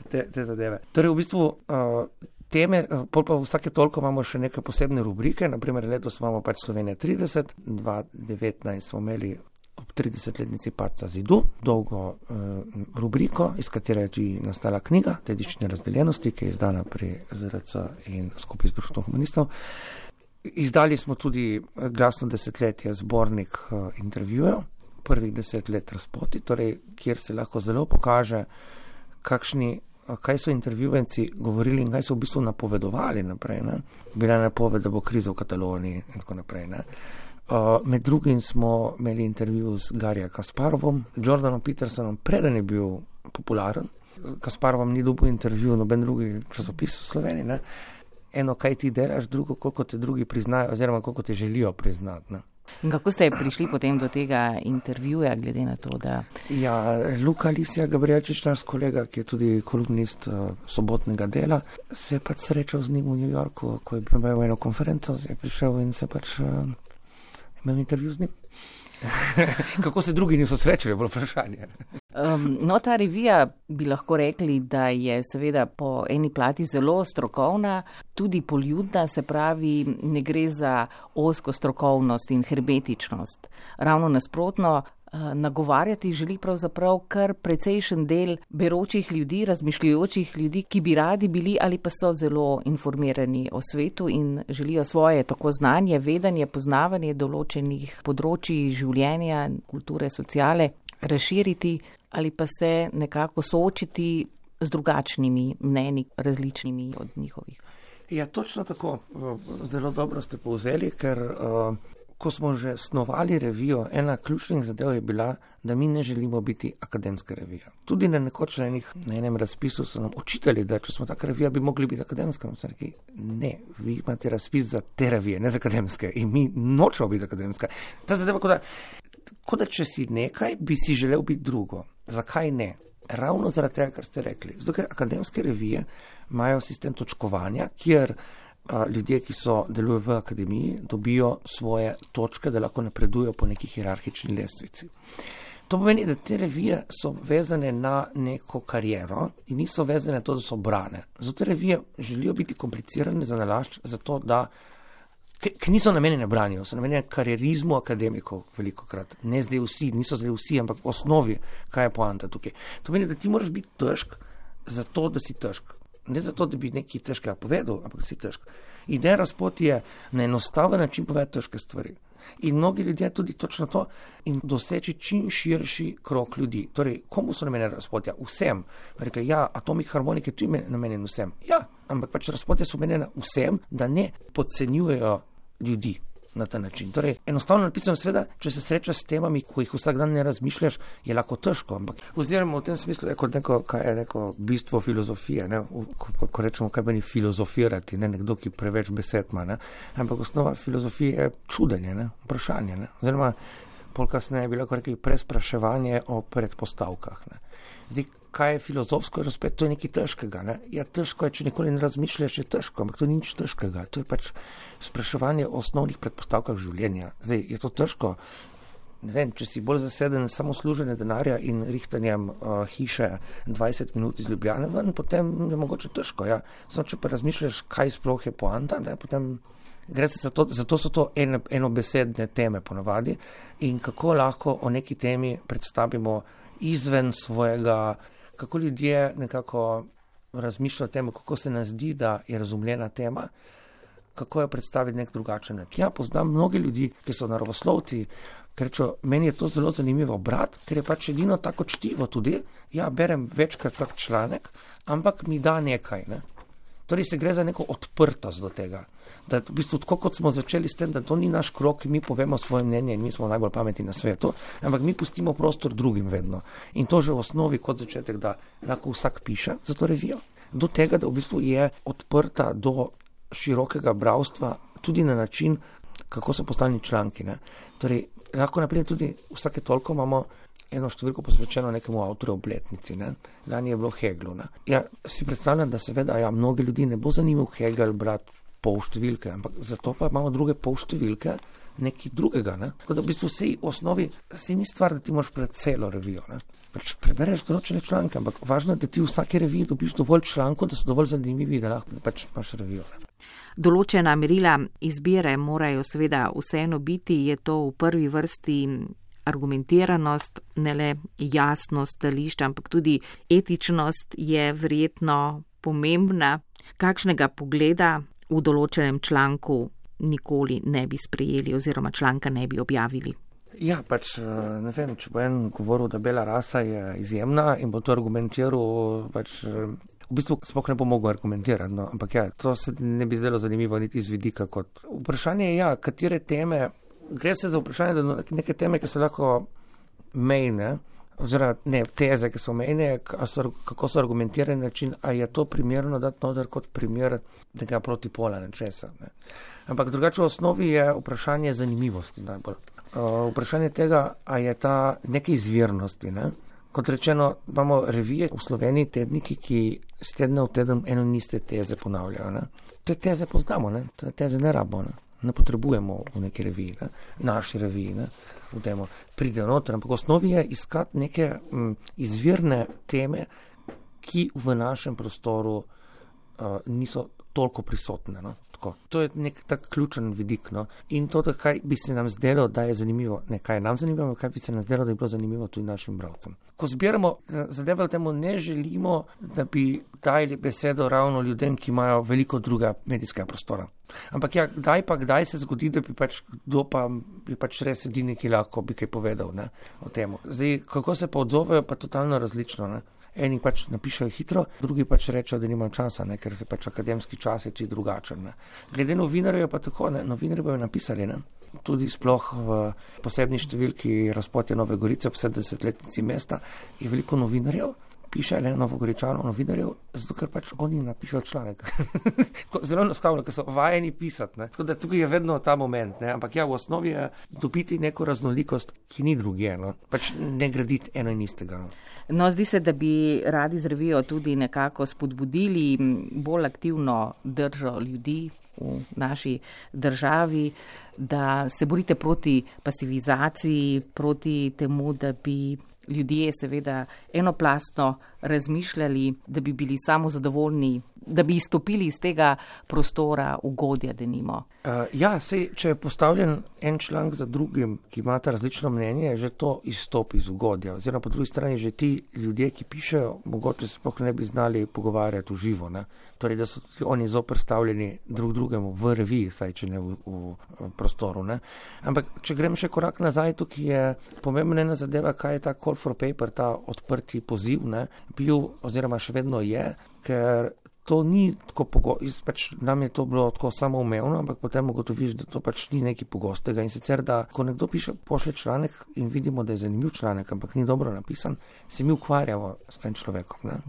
C: te, te zadeve. Torej, v bistvu, uh, teme, pol pa vsake toliko imamo še neke posebne rubrike, naprimer letos imamo pač Slovenija trideset, dva tisoč devetnajst smo imeli ob tridesetletnici padca zidu, dolgo uh, rubriko, iz katere je tudi nastala knjiga Dediščine razdeljenosti, ki je izdana pri Z R C in skupaj z Društvom humanistov. Izdali smo tudi Glasno desetletje, zbornik uh, intervjujev, prvih deset let razpoti, torej, kjer se lahko zelo pokaže, kakšni, uh, kaj so intervjuvenci govorili in kaj so v bistvu napovedovali naprej. Ne? Bila je napoved, da bo kriza v Kataloniji in tako naprej. Ne? Uh, med drugim smo imeli intervju z Garija Kasparovom, Jordanom Petersonom, preden je bil popularen. Kasparovom ni dobil intervju, noben drugi časopis v Sloveniji, ne? Eno, kaj ti delaš, drugo, koliko te drugi priznajo, oziroma koliko te želijo priznati. Ne?
B: In kako ste prišli potem do tega intervjuja, glede na to, da...
C: Ja, Luka Lisija Gabrielčič, naš kolega, ki je tudi kolumnist uh, sobotnega dela, se je pač srečal z njim v New Yorku, ko je imel eno konferenco, je prišel in se pač uh, imel intervju z njim. Kako se drugi niso srečali, je bilo vprašanje.
B: Um, no, ta revija bi lahko rekli, da je seveda po eni plati zelo strokovna, tudi poljudna, se pravi, ne gre za ozko strokovnost in herbetičnost. Ravno nasprotno, uh, nagovarjati želi pravzaprav kar precejšen del beročih ljudi, razmišljujočih ljudi, ki bi radi bili ali pa so zelo informirani o svetu in želijo svoje tako znanje, vedenje, poznavanje določenih področij življenja, kulture, sociale razširiti ali pa se nekako soočiti z drugačnimi mnenji, različnimi od njihovih.
C: Ja, točno tako. Zelo dobro ste povzeli, ker uh, ko smo že snovali revijo, ena ključnih zadev je bila, da mi ne želimo biti akademska revija. Tudi na nekoč na, enih, na enem razpisu so nam očitali, da če smo taka revija, bi mogli biti akademska. Rekli, ne, vi imate razpis za te revije, ne za akademske in mi nočemo biti akademska. Ta zadeva, kot da, kot da če si nekaj, bi si želel biti drugo. Zakaj ne? Ravno zaradi tega, kar ste rekli. Zato, ker akademske revije imajo sistem točkovanja, kjer a, ljudje, ki so delujejo v akademiji, dobijo svoje točke, da lahko napredujo po neki hierarhični lestvici. To pomeni, da te revije so vezane na neko kariero in niso vezane na to, da so brane. Zato te revije želijo biti komplicirane za nalašč, zato da ki niso namenjene branju, so namenjene karierizmu akademikov velikokrat. Ne zdaj vsi, niso zdaj vsi, ampak v osnovi, kaj je poanta tukaj. To pomeni, da ti moraš biti težk zato, da si težk. Ne zato, da bi nekaj težkega povedal, ampak si težk. Ideja razpoti je na enostaven način povedati težke stvari. In mnogi ljudje tudi točno to in doseči čim širši krog ljudi. Torej, komu so namenjene razpotja? Vsem. Rekli, ja, atomik harmonike tu je namenjen vsem. Ja, ampak pač razpotja so namenjene vsem, da ne podcenjujejo ljudi na ta način. Torej, enostavno napisano, seveda, če se srečaš s temami, ko jih vsak dan ne razmišljaš, je lahko težko, ampak oziroma v tem smislu je kot neko, kaj je neko bistvo filozofije, ne? Ko, ko rečemo, kaj meni filozofirati, ne nekdo, ki preveč besed ima, ne? Ampak osnova filozofije je čudenje, ne? Vprašanje, ne? Oziroma, pol kasneje je bilo, ko rekli, prespraševanje o predpostavkah, ne? Zdaj, kaj je filozofsko, je razpet, to je nekaj težkega, ne? Ja, težko je, če nikoli ne razmišljaš, je težko, ampak to ni nič težkega. To je pač spraševanje o osnovnih predpostavkah življenja. Zdaj, je to težko? Ne vem, če si bolj zaseden samo služenje denarja in rihtanjem uh, hiše dvajset minut iz Ljubljane ven, potem je mogoče težko, ja. Samo, če pa razmišljaš, kaj sploh je poanta, da potem gre se za to, zato so to ene, enobesedne teme ponavadi in kako lahko o neki temi predstavimo izven svojega, kako ljudje nekako razmišljajo o tem, kako se nam zdi, da je razumljena tema, kako jo predstaviti nek drugačen način. Ja, poznam mnogi ljudi, ki so naravoslovci, ker rečo, meni je to zelo zanimivo brati, ker je pač edino tako čtivo tudi. Ja, berem večkrat tak članek, ampak mi da nekaj, ne. Torej se gre za neko odprtost do tega. Da v bistvu tako, kot smo začeli s tem, da to ni naš krok, mi povemo svoje mnenje in mi smo najbolj pametni na svetu, ampak mi pustimo prostor drugim vedno. In to že v osnovi kot začetek, da lahko vsak piše za to revijo, do tega, da v bistvu je odprta do širokega bralstva tudi na način, kako so postavljeni članki. Ne. Torej, lahko naprej tudi vsake toliko imamo eno številko posvečeno nekemu avtorju obletnici. Ne. Lani je bilo Heglu. Ne. Ja, si predstavljam, da seveda, ja, mnogi ljudi ne bo zanimiv Hegel brati pol številke, ampak zato pa imamo druge pol številke nekaj drugega. Ne. Tako da v bistvu vsej osnovi se ni stvar, da ti moraš pred celo revijo. Ne. Pač prebereš določene članke, ampak važno je, da ti v vsaki reviji dobiš dovolj člankov, da so dovolj zanimivi, da lahko pač imaš revijo. Ne.
B: Določena merila izbire morajo seveda vseeno biti, je to v prvi vrsti argumentiranost, ne le jasnost stališča, ampak tudi etičnost je verjetno pomembna. Kakšnega pogleda v določenem članku nikoli ne bi sprejeli oziroma članka ne bi objavili?
C: Ja, pač ne vem, če bo en govoril, da bela rasa je izjemna in bo to argumentiral, pač v bistvu sploh ne bo mogel argumentirati, no, ampak ja, to se ne bi zdelo zanimivo niti iz vidika kot vprašanje, ja, katere teme, gre se za vprašanje, da neke teme, ki so lahko mejne, oziroma ne, teze, ki so mejne, kako so argumentirani način, a je to primerno dati noter kot primer tega protipola nečesa. Ne. Ampak drugače v osnovi je vprašanje zanimivosti najbolj. Uh, vprašanje tega, a je ta neke izvirnosti, ne. Kot rečeno, imamo revije v Sloveniji, tedniki, ki z tedna v teden eno in iste teze ponavljajo. Ne. Te teze poznamo, ne. Te teze ne rabimo, ne. Ne potrebujemo v neki reviji, ne. Naši reviji, ne. V temo pride noter, ampak v osnovi je iskati neke m, izvirne teme, ki v našem prostoru uh, niso toliko prisotne. No. Tako. To je nek tak ključen vidik. No. In to, da kaj bi se nam zdelo, da je zanimivo, ne kaj je nam zanimivo, kaj bi se nam zdelo, da je bilo zanimivo tudi našim bralcem. Ko zbiramo zadeve v temu, ne želimo, da bi dali besedo ravno ljudem, ki imajo veliko druga medijskega prostora. Ampak ja, kdaj pa kdaj se zgodi, da bi pač kdo pa bi pač res edini, ki lahko bi kaj povedal, ne, o temu. Zdaj, kako se pa odzovejo, pa totalno različno. Ne. Eni pač napišajo hitro, drugi pač rečejo, da nimajo časa, ne, ker se pač akademski čas je tudi drugačen. Ne. Glede novinarjev pa tako, ne, novinarji bojo napisali, ne. Tudi sploh v posebni številki Razpotje Nove Gorice ob sedemdesetletnici mesta je veliko novinarjev, piše le Novogoričanov novinarjev, zato ker pač oni napišejo članek. Zelo enostavno, ker so vajeni pisati. Ne. Tako da tukaj je vedno ta moment, ne. Ampak ja, v osnovi je dobiti neko raznolikost, ki ni druge, no. Pač ne graditi eno in istega. No.
B: No, zdi se, da bi radi z revijo tudi nekako spodbudili bolj aktivno držo ljudi v naši državi, da se borite proti pasivizaciji, proti temu, da bi ljudje seveda enoplastno razmišljali, da bi bili samozadovoljni, da bi izstopili iz tega prostora ugodja, denimo.
C: Uh, ja, sej, če je postavljen en članek za drugim, ki imata različno mnenje, že to izstopi iz ugodja. Oziroma po drugi strani že ti ljudje, ki pišejo, mogoče se sploh ne bi znali pogovarjati v živo. Ne? Torej, da so oni zoperstavljeni drug drugemu v reviji, saj če ne v, v, v prostoru. Ne? Ampak, če grem še korak nazaj, tukaj je pomembna ena zadeva, kaj je ta call for paper, ta odprti poziv, ne? Bil oziroma še vedno je, ker to ni tako pogosto, pač nam je to bilo tako samoumevno, ampak potem ugotoviš, da to pač ni nekaj pogostega. In sicer, da ko nekdo piše, pošlje članek in vidimo, da je zanimiv članek, ampak ni dobro napisan, se mi ukvarjamo s tem človekom. Ne?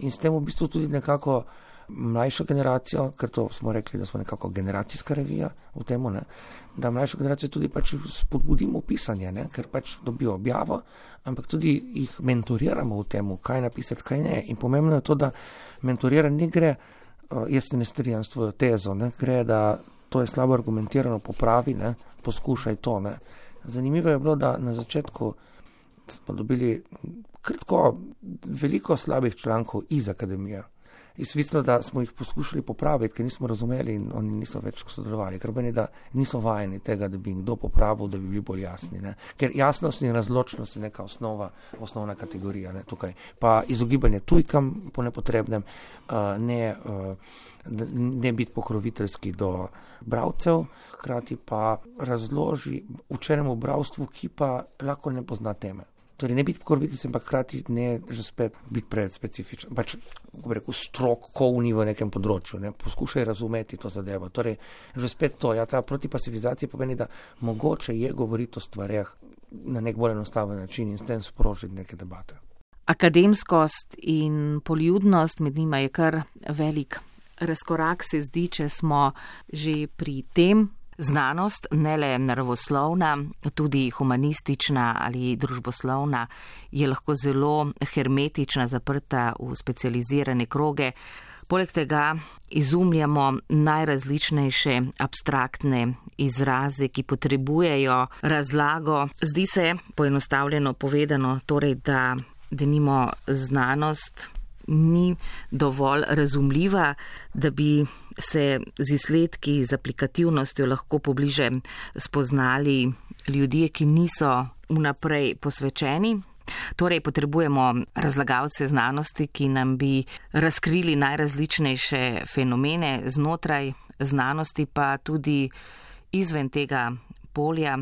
C: In s tem v bistvu tudi nekako mlajšo generacijo, ker to smo rekli, da smo nekako generacijska revija v temu, ne? Da mlajšo generacijo tudi pač spodbudimo pisanje, ne? Ker pač dobijo objavo, ampak tudi jih mentoriramo v temu, kaj napisati, kaj ne. In pomembno je to, da mentoriranje ne gre, jaz se ne strinjam s tvojo tezo, ne? Gre, da to je slabo argumentirano, popravi, ne? Poskušaj to. Ne? Zanimivo je bilo, da na začetku smo dobili kratko veliko slabih člankov iz akademije. Izvisno, da smo jih poskušali popraviti, ker nismo razumeli in oni niso več sodelovali, ker meni, da niso vajeni tega, da bi jim kdo popravil, da bi bili bolj jasni. Ne? Ker jasnost in razločnost je neka osnova, osnovna kategorija, ne, tukaj. Pa izogibanje tujkam po nepotrebnem, uh, ne, uh, ne biti pokroviteljski do bralcev, hkrati pa razloži učenemu bralstvu, ki pa lahko ne pozna teme. Torej ne biti pokroviteljski, ampak hkrati ne že spet biti predspecifičen. Pač, kako bi rekel, strok kovni v nekem področju, ne, poskušaj razumeti to zadevo. Torej, že spet to, ja, ta protipasivizacija pomeni, da mogoče je govoriti o stvareh na nek bolj enostaven način in s tem sprožiti neke debate.
B: Akademskost in poljudnost, med njima je kar velik razkorak, se zdi, če smo že pri tem. Znanost, ne le naravoslovna, tudi humanistična ali družboslovna, je lahko zelo hermetična, zaprta v specializirane kroge. Poleg tega izumljamo najrazličnejše abstraktne izraze, ki potrebujejo razlago. Zdi se, poenostavljeno povedano, torej, da denimo znanost ni dovolj razumljiva, da bi se z izsledki, z aplikativnostjo lahko pobliže spoznali ljudje, ki niso vnaprej posvečeni. Torej potrebujemo razlagalce znanosti, ki nam bi razkrili najrazličnejše fenomene znotraj znanosti, pa tudi izven tega polja,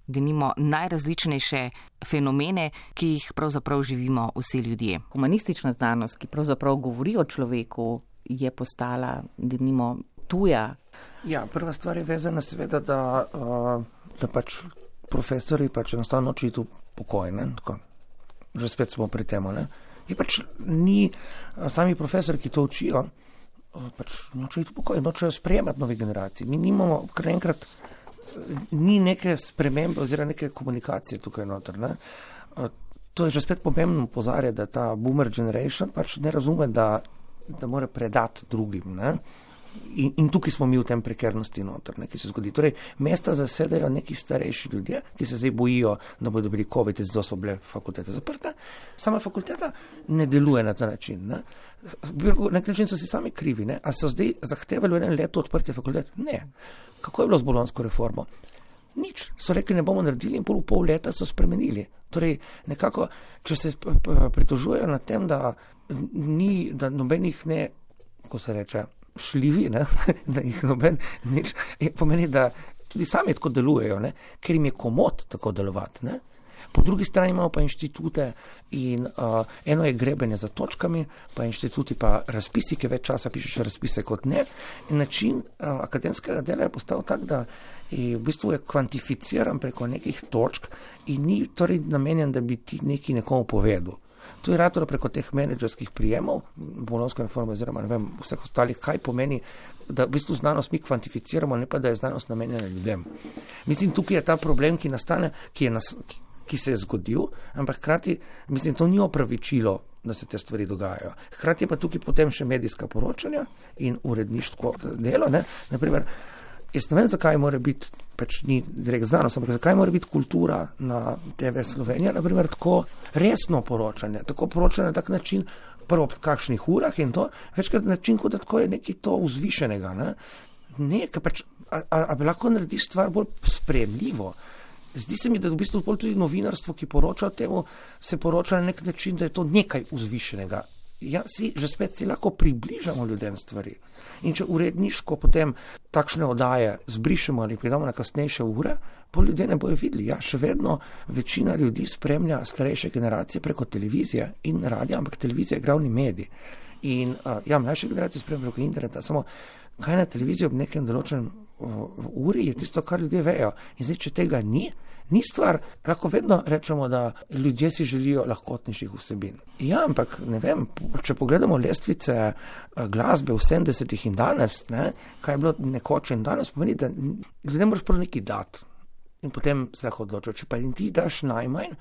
B: denimo najrazličnejše fenomene, ki jih pravzaprav živimo vsi ljudje. Humanistična znanost, ki pravzaprav govori o človeku, je postala denimo tuja.
C: Ja, prva stvar je vezana seveda, da, da pač profesori pač enostavno nočejo iti v pokoj, ne, tako. Že spet smo pri temu, ne. Je pač ni, sami profesori, ki to učijo, pač nočejo iti v pokoj, nočejo sprejemati nove generacije. Mi nimamo, kar enkrat, ni neke spremembe oziroma neke komunikacije tukaj noter. Ne? To je že spet pomembno opozarjati, da ta boomer generation pač ne razume, da, da mora predati drugim. Ne? In, in tukaj smo mi v tem prekernosti noter, ne, ki se zgodi. Torej, mesta zasedajo neki starejši ljudje, ki se zdaj bojijo, da bodo dobili covid, zato so bile fakultete zaprte. Sama fakulteta ne deluje na ta način. Ne. Na nek način so si sami krivi. Ne. A so zdaj zahtevali v enem letu odprtje fakultet? Ne. Kako je bilo z bolonjsko reformo? Nič. So rekli, ne bomo naredili in pol v pol leta so spremenili. Torej, nekako, če se pritožujejo nad tem, da ni, da nobenih ne, ko se reče, šljivi, ne? Da jih noben nič, pomeni, da tudi sami tako delujejo, ne? Ker jim je komod tako delovati. Ne? Po drugi strani imamo pa inštitute in uh, eno je grebenje za točkami, pa inštituti pa razpisi, ki več časa pišeš razpise kot ne. In način uh, akademskega dela je postal tak, da je, v bistvu je kvantificiran preko nekih točk in ni torej namenjen, da bi ti neki nekomu povedal. To je ratoro preko teh menedžerskih prijemov, bolonjska reforma oziroma ne vem, vseh ostalih, kaj pomeni, da v bistvu znanost mi kvantificiramo, ne pa da je znanost namenjena ljudem. Mislim, tukaj je ta problem, ki nastane, ki, je nas, ki, ki se je zgodil, ampak hkrati, mislim, to ni opravičilo, da se te stvari dogajajo. Hkrati je pa tukaj potem še medijska poročanja in uredništvo delo, ne, naprimer, jaz ne vem, zakaj mora biti, pač ni direkt znanost, ampak zakaj mora biti kultura na T V Slovenija, naprimer, tako resno poročanje, tako poročanje na tak način, prvo v kakšnih urah in to, večkrat način, kot da tako je nekaj to vzvišenega, ne, ne, ker pač, a, a, a bi lahko narediš stvar bolj sprejemljivo. Zdi se mi, da v bistvu tudi novinarstvo, ki poroča o temu, se poroča na nek način, da je to nekaj vzvišenega. Ja, si, že spet si lahko približamo ljudem stvari. In če uredniško potem takšne oddaje zbrišemo ali pridamo na kasnejše ure, pol ljudje ne bojo videli. Ja, še vedno večina ljudi spremlja starejše generacije preko televizije in radija, ampak televizija je glavni medij. In uh, ja, mlajše generacije spremlja preko interneta, samo kaj na televiziji ob nekem določenem uh, uri je tisto, kar ljudje vejo. In zdaj, če tega ni, ni stvar, lahko vedno rečemo, da ljudje si želijo lahkotnejših vsebin. Ja, ampak ne vem, če pogledamo lestvice glasbe v sedemdesetih in danes, ne, kaj je bilo nekoč in danes, pomeni, da ljudje moraš prav neki dati. In potem se lahko odločijo, če pa in ti daš najmanj,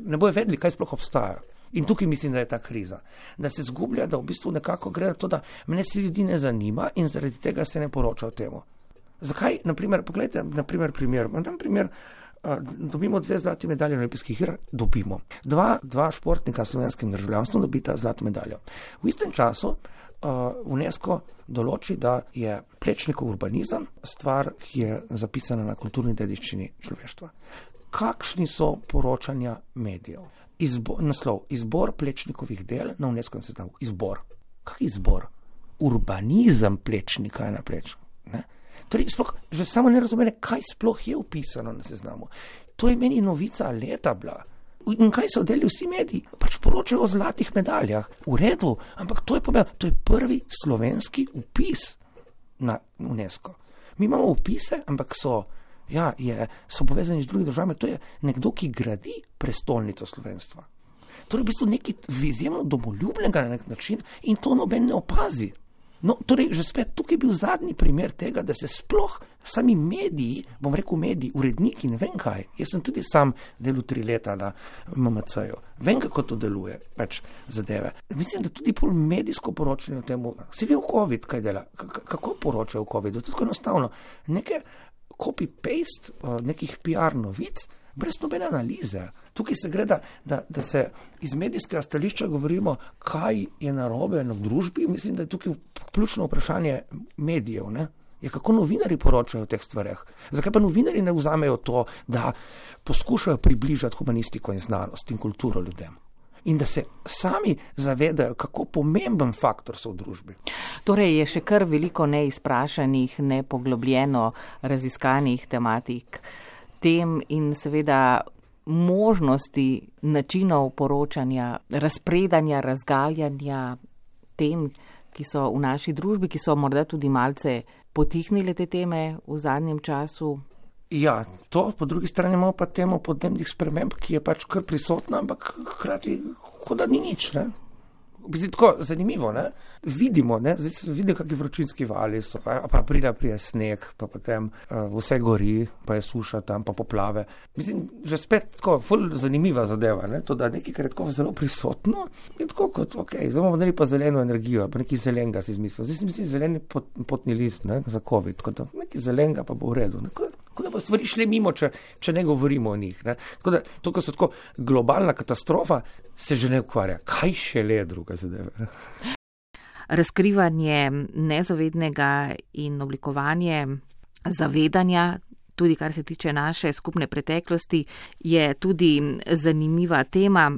C: ne bojo vedeli, kaj sploh obstaja. In tukaj mislim, da je ta kriza. Da se zgublja, da v bistvu nekako gre to, da mene se ljudi ne zanima in zaradi tega se ne poroča o temu. Zakaj? Naprimer, pogledajte, naprimer primer, imam primer dobimo dve zlati medalje na olimpijskih igrah, dobimo. Dva, dva športnika s slovenskim državljanstvom dobita zlato medaljo. V istem času Uh, UNESCO določi, da je Plečnikov urbanizem stvar, ki je zapisana na kulturni dediščini človeštva. Kakšni so poročanja medijev? Izbo, naslov, izbor Plečnikovih del na UNESCO seznamu. Izbor. Kak izbor? Urbanizem Plečnika je na Plečniku. Ne? Torej, sploh, že samo ne razumene, kaj sploh je upisano na seznamu. To je meni novica leta bila. In kaj so delili vsi mediji? Pač poročajo o zlatih medaljah. V redu, ampak to je pomembno. To je prvi slovenski vpis na UNESCO. Mi imamo vpise, ampak so, ja, je, so povezani z drugimi državami. To je nekdo, ki gradi prestolnico slovenstva. Torej, v bistvu nekaj izjemno domoljubnega na nek način in to noben ne opazi. No, torej, že spet tukaj je bil zadnji primer tega, da se sploh sami mediji, bom rekel mediji, uredniki, ne vem kaj, jaz sem tudi sam delal tri leta na M M C-ju, vem, kako to deluje, pač zadeve. Mislim, da tudi pol medijsko poročanje o temu, si ve v COVID, kaj dela, K- kako poročajo o COVID-u, to je tako enostavno, neke copy-paste, nekih P R novic, brez nobene analize. Tukaj se gre, da, da, da se iz medijskega stališča govorimo, kaj je narobe v družbi. Mislim, da je tukaj ključno vprašanje medijev. Ne? Je, kako novinari poročajo o teh stvareh. Zakaj pa novinari ne vzamejo to, da poskušajo približati humanistiko in znanost in kulturo ljudem? In da se sami zavedajo, kako pomemben faktor so v družbi.
B: Torej je še kar veliko neizprašanih, nepoglobljeno raziskanih tematik, tem in seveda možnosti načinov poročanja, razpredanja, razgaljanja tem, ki so v naši družbi, ki so morda tudi malce potihnile te teme v zadnjem času.
C: Ja, to, po drugi strani imamo pa temo podnebnih sprememb, ki je pač kar prisotna, ampak hkrati, kot da ni nič, ne? Biti tako zanimivo, ne? Vidimo, ne? Zdaj se vidi, kakšni vročinski vali so, pa, pa aprila prije sneg, pa potem uh, vse gori, pa je suša tam, pa poplave. Mislim, že spet tako, ful zanimiva zadeva, ne? To, da nekaj, kar je tako zelo prisotno, je tako kot, ok, zdaj bomo dali pa zeleno energijo, pa nekaj zelenega si izmislil. Zdaj si mislim zeleni pot, potni list, ne? Za COVID, tako da nekaj zelenega pa bo v redu, ne? Tako da bo stvari šle mimo, če, če ne govorimo o njih. Ne? Tako da, to, ko so tako globalna katastrofa, se že ne ukvarja. Kaj še le druga zadeva?
B: Razkrivanje nezavednega in oblikovanje zavedanja, tudi kar se tiče naše skupne preteklosti, je tudi zanimiva tema.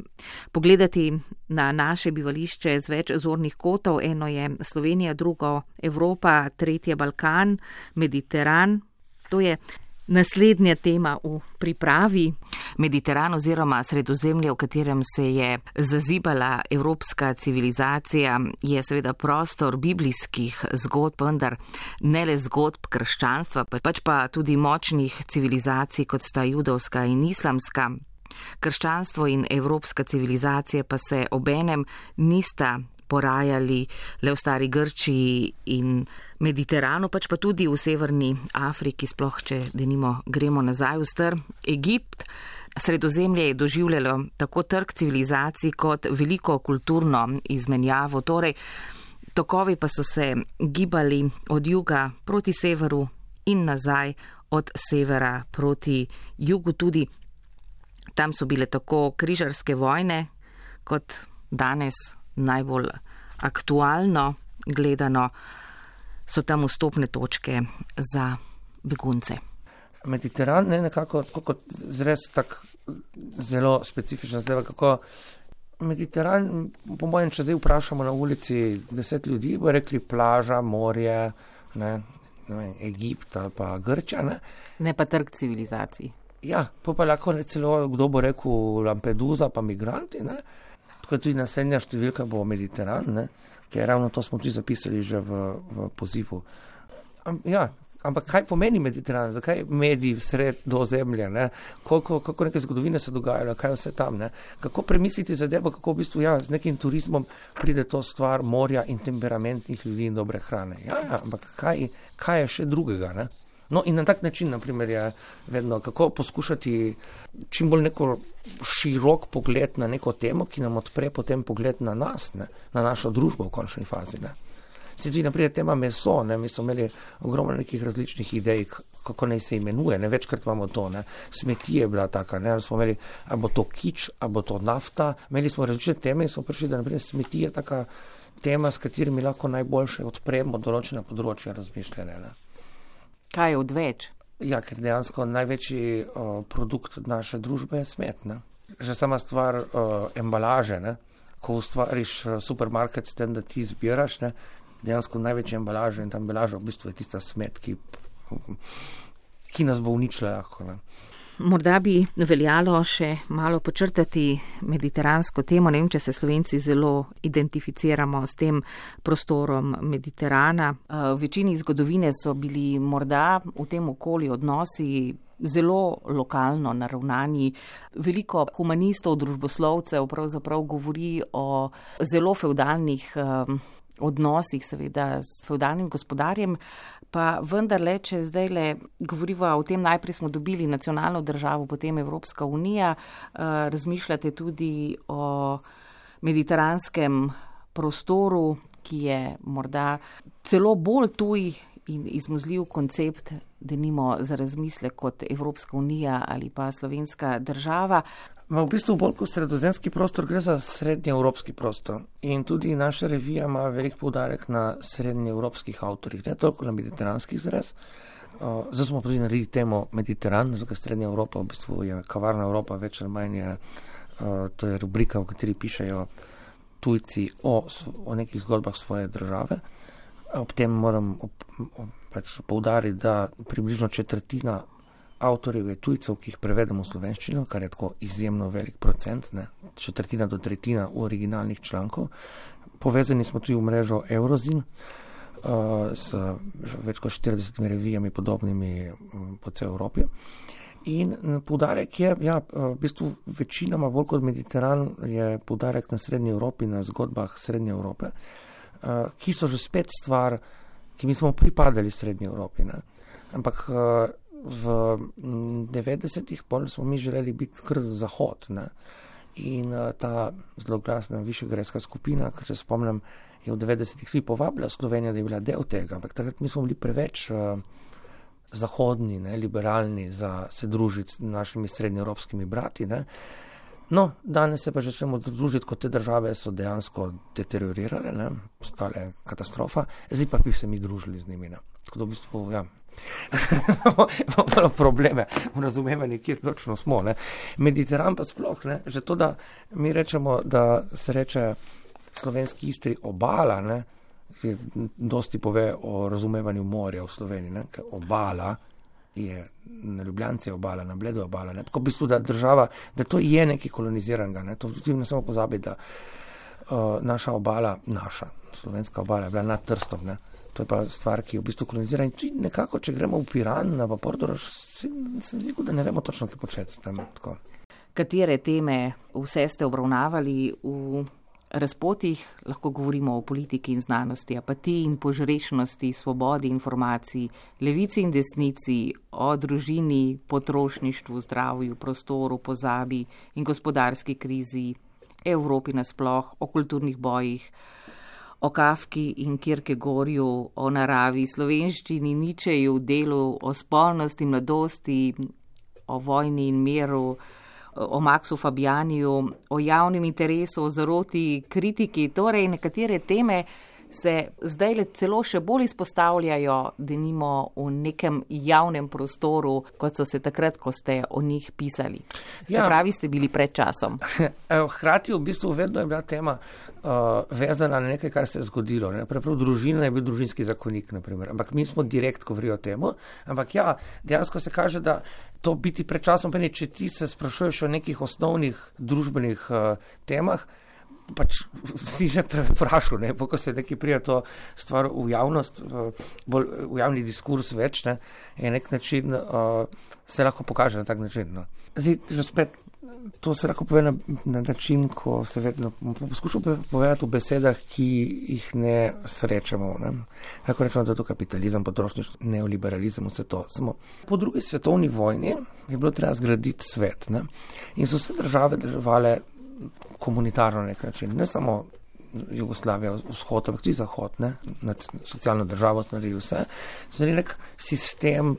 B: Pogledati na naše bivališče z več zornih kotov. Eno je Slovenija, drugo Evropa, tretje Balkan, Mediteran. To je naslednja tema v pripravi. Mediteran oziroma Sredozemlje, v katerem se je zazibala evropska civilizacija, je seveda prostor biblijskih zgodb, vendar ne le zgodb krščanstva, pač pa tudi močnih civilizacij, kot sta judovska in islamska. Krščanstvo in evropska civilizacija pa se obenem nista porajali le v stari Grčiji in Mediteranu, pač pa tudi v severni Afriki, sploh če denimo gremo nazaj v star Egipt. Sredozemlje je doživljalo tako trk civilizacij kot veliko kulturno izmenjavo, torej tokovi pa so se gibali od juga proti severu in nazaj od severa proti jugu. Tudi tam so bile tako križarske vojne kot danes najbolj aktualno gledano, so tam vstopne točke za begunce.
C: Mediteran je nekako kot zres tak zelo specifična zadeva, kako Mediteran, po mojem, če zdaj vprašamo na ulici deset ljudi, bo rekli plaža, morje, ne, ne, Egipt ali pa Grča. Ne,
B: ne pa trg civilizacij.
C: Ja, pa pa lahko celo kdo bo rekel Lampedusa pa migranti, ne. Tako tudi naslednja številka bo Mediteran, ne, ker ravno to smo tudi zapisali že v, v pozivu. Am, ja, ampak kaj pomeni Mediteran? Zakaj mediji sred do zemlje? Ne? Koliko, kako neke zgodovine se dogajajo, kaj vse tam? Ne? Kako premisliti zadevo, kako v bistvu ja, z nekim turizmom pride to stvar morja in temperamentnih ljudi in dobre hrane? Ja, ja, ampak kaj, kaj je še drugega? Ne? No in na tak način, naprimer, je vedno, kako poskušati čim bolj neko širok pogled na neko temo, ki nam odpre potem pogled na nas, ne? Na našo družbo v končni fazi. Ne? Se tudi, naprimer, tema meso, ne? Mi smo imeli ogromno nekih različnih idej, kako naj se imenuje, ne, večkrat imamo to, ne, smeti je bila taka, ne, ali smo imeli, ali bo to kič, ali bo to nafta, imeli smo različne teme in smo prišli, da naprej smeti je taka tema, s katerimi lahko najboljše odpremo določena področja razmišljanja, ne.
B: Kaj je odveč?
C: Ja, ker dejansko največji o, produkt naše družbe je smet, ne. Že sama stvar o, embalaže, ne, ko ustvariš supermarket s tem, da ti zbiraš, ne, dejansko največja embalaža in ta embalaža v bistvu je tista smet, ki, ki nas bo uničila lahko, ne.
B: Morda bi veljalo še malo počrtati mediteransko temo. Ne vem, če se Slovenci zelo identificiramo s tem prostorom Mediterana. V večini zgodovine so bili morda v tem okolju odnosi zelo lokalno naravnani. Veliko humanistov, družboslovcev pravzaprav govori o zelo fevdalnih odnosih, seveda s fevdalnim gospodarjem, pa vendarle, če zdaj le govoriva o tem, najprej smo dobili nacionalno državo, potem Evropska unija, razmišljate tudi o mediteranskem prostoru, ki je morda celo bolj tuj in izmuzljiv koncept, denimo za razmislek kot Evropska unija ali pa slovenska država.
C: Ma v bistvu bolj kot sredozemski prostor gre za srednjeevropski prostor in tudi naša revija ima velik poudarek na srednjeevropskih avtorjih, ne toliko na mediteranskih zres. Uh, zdaj smo tudi naredili temo Mediteran, zato srednja Evropa v bistvu je kavarna Evropa, več ali manj je, uh, to je rubrika, v kateri pišejo tujci o, o nekih zgodbah svoje države. Ob tem moram ob, ob, pač poudariti, da približno četrtina avtorjev je tujcev, ki jih prevedemo v slovenščino, kar je tako izjemno velik procent, ne, četrtina do tretjina v originalnih člankov. Povezani smo tudi v mrežo Eurozin, uh, s več kot štiridesetimi revijami podobnimi um, po cel Evropi. In poudarek je, ja, v bistvu večinoma bolj kot Mediteran je poudarek na Srednji Evropi, na zgodbah Srednje Evrope, uh, ki so že spet stvar, ki mi smo pripadali Srednji Evropi, ne. Ampak uh, v devetdesetih pol smo mi želeli biti kar zahod, ne. In uh, ta zloglasna višegrajska skupina, kar se spomnim, je v devetdesetih tudi povabila Slovenijo, da je bila del tega, ampak takrat mi smo bili preveč uh, zahodni, ne, liberalni za se družiti s našimi srednjeevropskimi brati, ne. No, danes se pa že začnemo družiti, kot te države so dejansko deteriorirale, ne, postale katastrofa, zdaj pa bi se mi družili z njimi, ne. Tako da v bistvu, ja, imamo probleme v razumevanju, kjer točno smo, ne. Mediteran pa sploh, ne, že to, da mi rečemo, da se reče slovenski Istri obala, ne, ki dosti pove o razumevanju morja v Sloveniji, ne, ker obala je na Ljubljance obala, na Bledu obala, ne, tako v bistvu, da država, da to je nekaj koloniziranega, ne, to tudi ne samo pozabi, da uh, naša obala, naša slovenska obala je bila nad Trstom, ne. To je pa stvar, ki je v bistvu kolonizira in tudi nekako, če gremo v Piran, na Portorož, se, se mi zdi, da ne vemo točno, kaj početi s tem. Tako.
B: Katere teme vse ste obravnavali v razpotih? Lahko govorimo o politiki in znanosti, apatiji in požrešnosti, svobodi informacij, levici in desnici, o družini, potrošništvu, zdravju, prostoru, pozabi in gospodarski krizi, Evropi nasploh, o kulturnih bojih, o Kafki in Kierkegaardu, o naravi, slovenščini, Ničeju, delu, o spolnosti, mladosti, o vojni in miru, o Maxu Fabianiju, o javnem interesu, o zaroti, kritiki. Torej, nekatere teme se zdaj le celo še bolj izpostavljajo, denimo v nekem javnem prostoru, kot so se takrat, ko ste o njih pisali. Se ja. pravi, ste bili pred časom.
C: Hkrati v bistvu vedno je bila tema uh, vezana na nekaj, kar se je zgodilo. Preprav družina je bil družinski zakonik, naprimer. Ampak mi smo direkt govorili o temu. Ampak ja, dejansko se kaže, da to biti pred časom, pa ne, če ti se sprašuješ o nekih osnovnih družbenih uh, temah, pač si že vprašal, ne, ko se neki prija to stvar v javnost, bolj v javni diskurs več, ne, je nek način, uh, se lahko pokaže na tak način, no. Zdaj, že spet, to se lahko pove na, na način, ko se vedno poskušam povedati v besedah, ki jih ne srečamo, ne. Lahko rečemo, da je to kapitalizem, potrošništvo, neoliberalizem, vse to. Samo po drugi svetovni vojni je bilo treba zgraditi svet, ne, in so vse države delovale komunitarno na nek način, ne samo Jugoslavija, vzhod, ampak tudi zahod, ne, nad socialno državo so naredili vse, so naredili nek sistem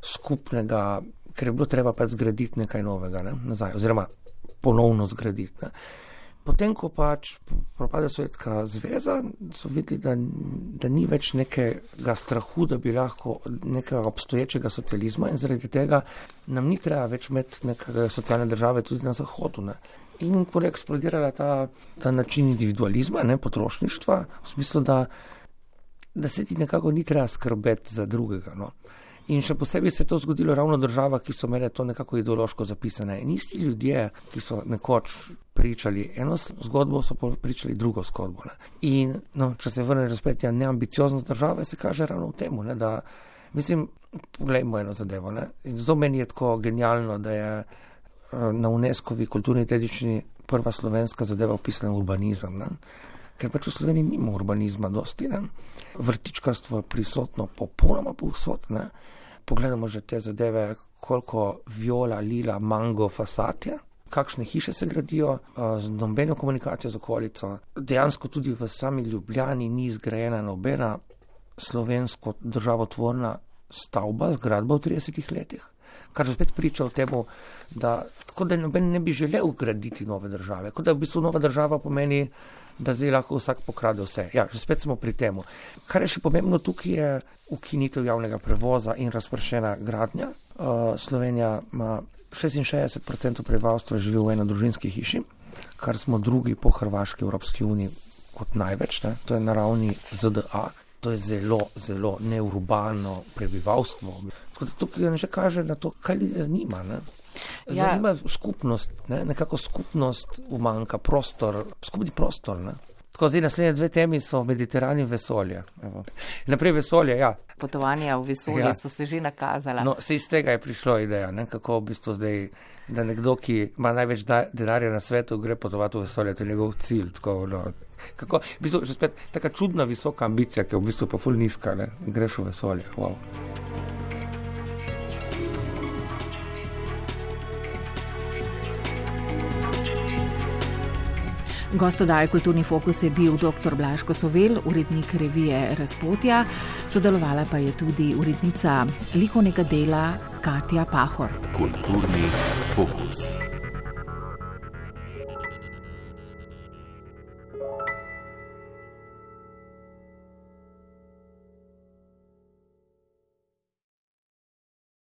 C: skupnega, ker je bilo treba pa zgraditi nekaj novega, ne, nazaj, oziroma ponovno zgraditi. Ne. Potem, ko pač propade Sovjetska zveza, so videli, da, da ni več nekega strahu, da bi lahko nekega obstoječega socializma in zaradi tega nam ni treba več imeti nekega socialne države tudi na Zahodu. Ne. In poleg eksplodirala ta, ta način individualizma, ne, potrošništva, v smislu, da, da se ti nekako ni treba skrbeti za drugega. No. In še posebej se je to zgodilo ravno v državah, ki so imele to nekako ideološko zapisane. In isti ljudje, ki so nekoč pričali eno zgodbo, so pričali drugo zgodbo. Ne. In no, če se vrne razpet, ja, neambicioznost države se kaže ravno v temu, ne, da, mislim, poglejmo eno zadevo. Ne. In zato meni je tako genialno, da je na UNESCO-vi kulturni dediščini prva slovenska zadeva opisana urbanizem. Ne. Ker pač v Sloveniji nima urbanizma dosti, ne. Vrtičkarstvo je prisotno popolnoma povsod, ne. Pogledamo že te zadeve, koliko viola, lila, mango, fasad je, kakšne hiše se gradijo, z nobeno komunikacijo z okolico. Dejansko tudi v sami Ljubljani ni zgrajena nobena slovensko državotvorna stavba, zgradba v tridesetih letih. Kar že spet priča o temu, da kot da noben ne bi želel graditi nove države, kot da v bistvu nova država pomeni, da zdaj lahko vsak pokrade vse. Ja, že spet smo pri temu. Kar je še pomembno tukaj je ukinitev javnega prevoza in razpršena gradnja. Uh, Slovenija ima šestinšestdeset procentov prebivalstva živi v enodružinski hiši, kar smo drugi po Hrvaški Evropski uniji kot največ, ne? To je na ravni Z D A. To je zelo, zelo neurbano prebivalstvo. Tako da tukaj že kaže na to, kaj ljudi zanima. Ne? Zanima ja. skupnost, ne? Nekako skupnost umanjka, prostor, skupni prostor. Ne? Tako zdaj naslednje dve temi so Mediteran in vesolje. Evo. Naprej vesolje, ja.
B: Potovanja v vesolje ja. so se že nakazala.
C: No, se iz tega je prišlo ideja, ne? Kako v bistvu zdaj, da nekdo, ki ima največ denarja na svetu, gre potovati v vesolje, to je njegov cilj. Tako, no. Kako, v bistvu, že spet taka čudna visoka ambicija, ki je v bistvu pa ful nizka, ne? Greš v vesolje. Wow.
B: Gost oddaje Kulturni fokus je bil dr. Blaž Kosovel, urednik revije Razpotja, sodelovala pa je tudi urednica likovnega dela Katja Pahor.
A: Kulturni fokus.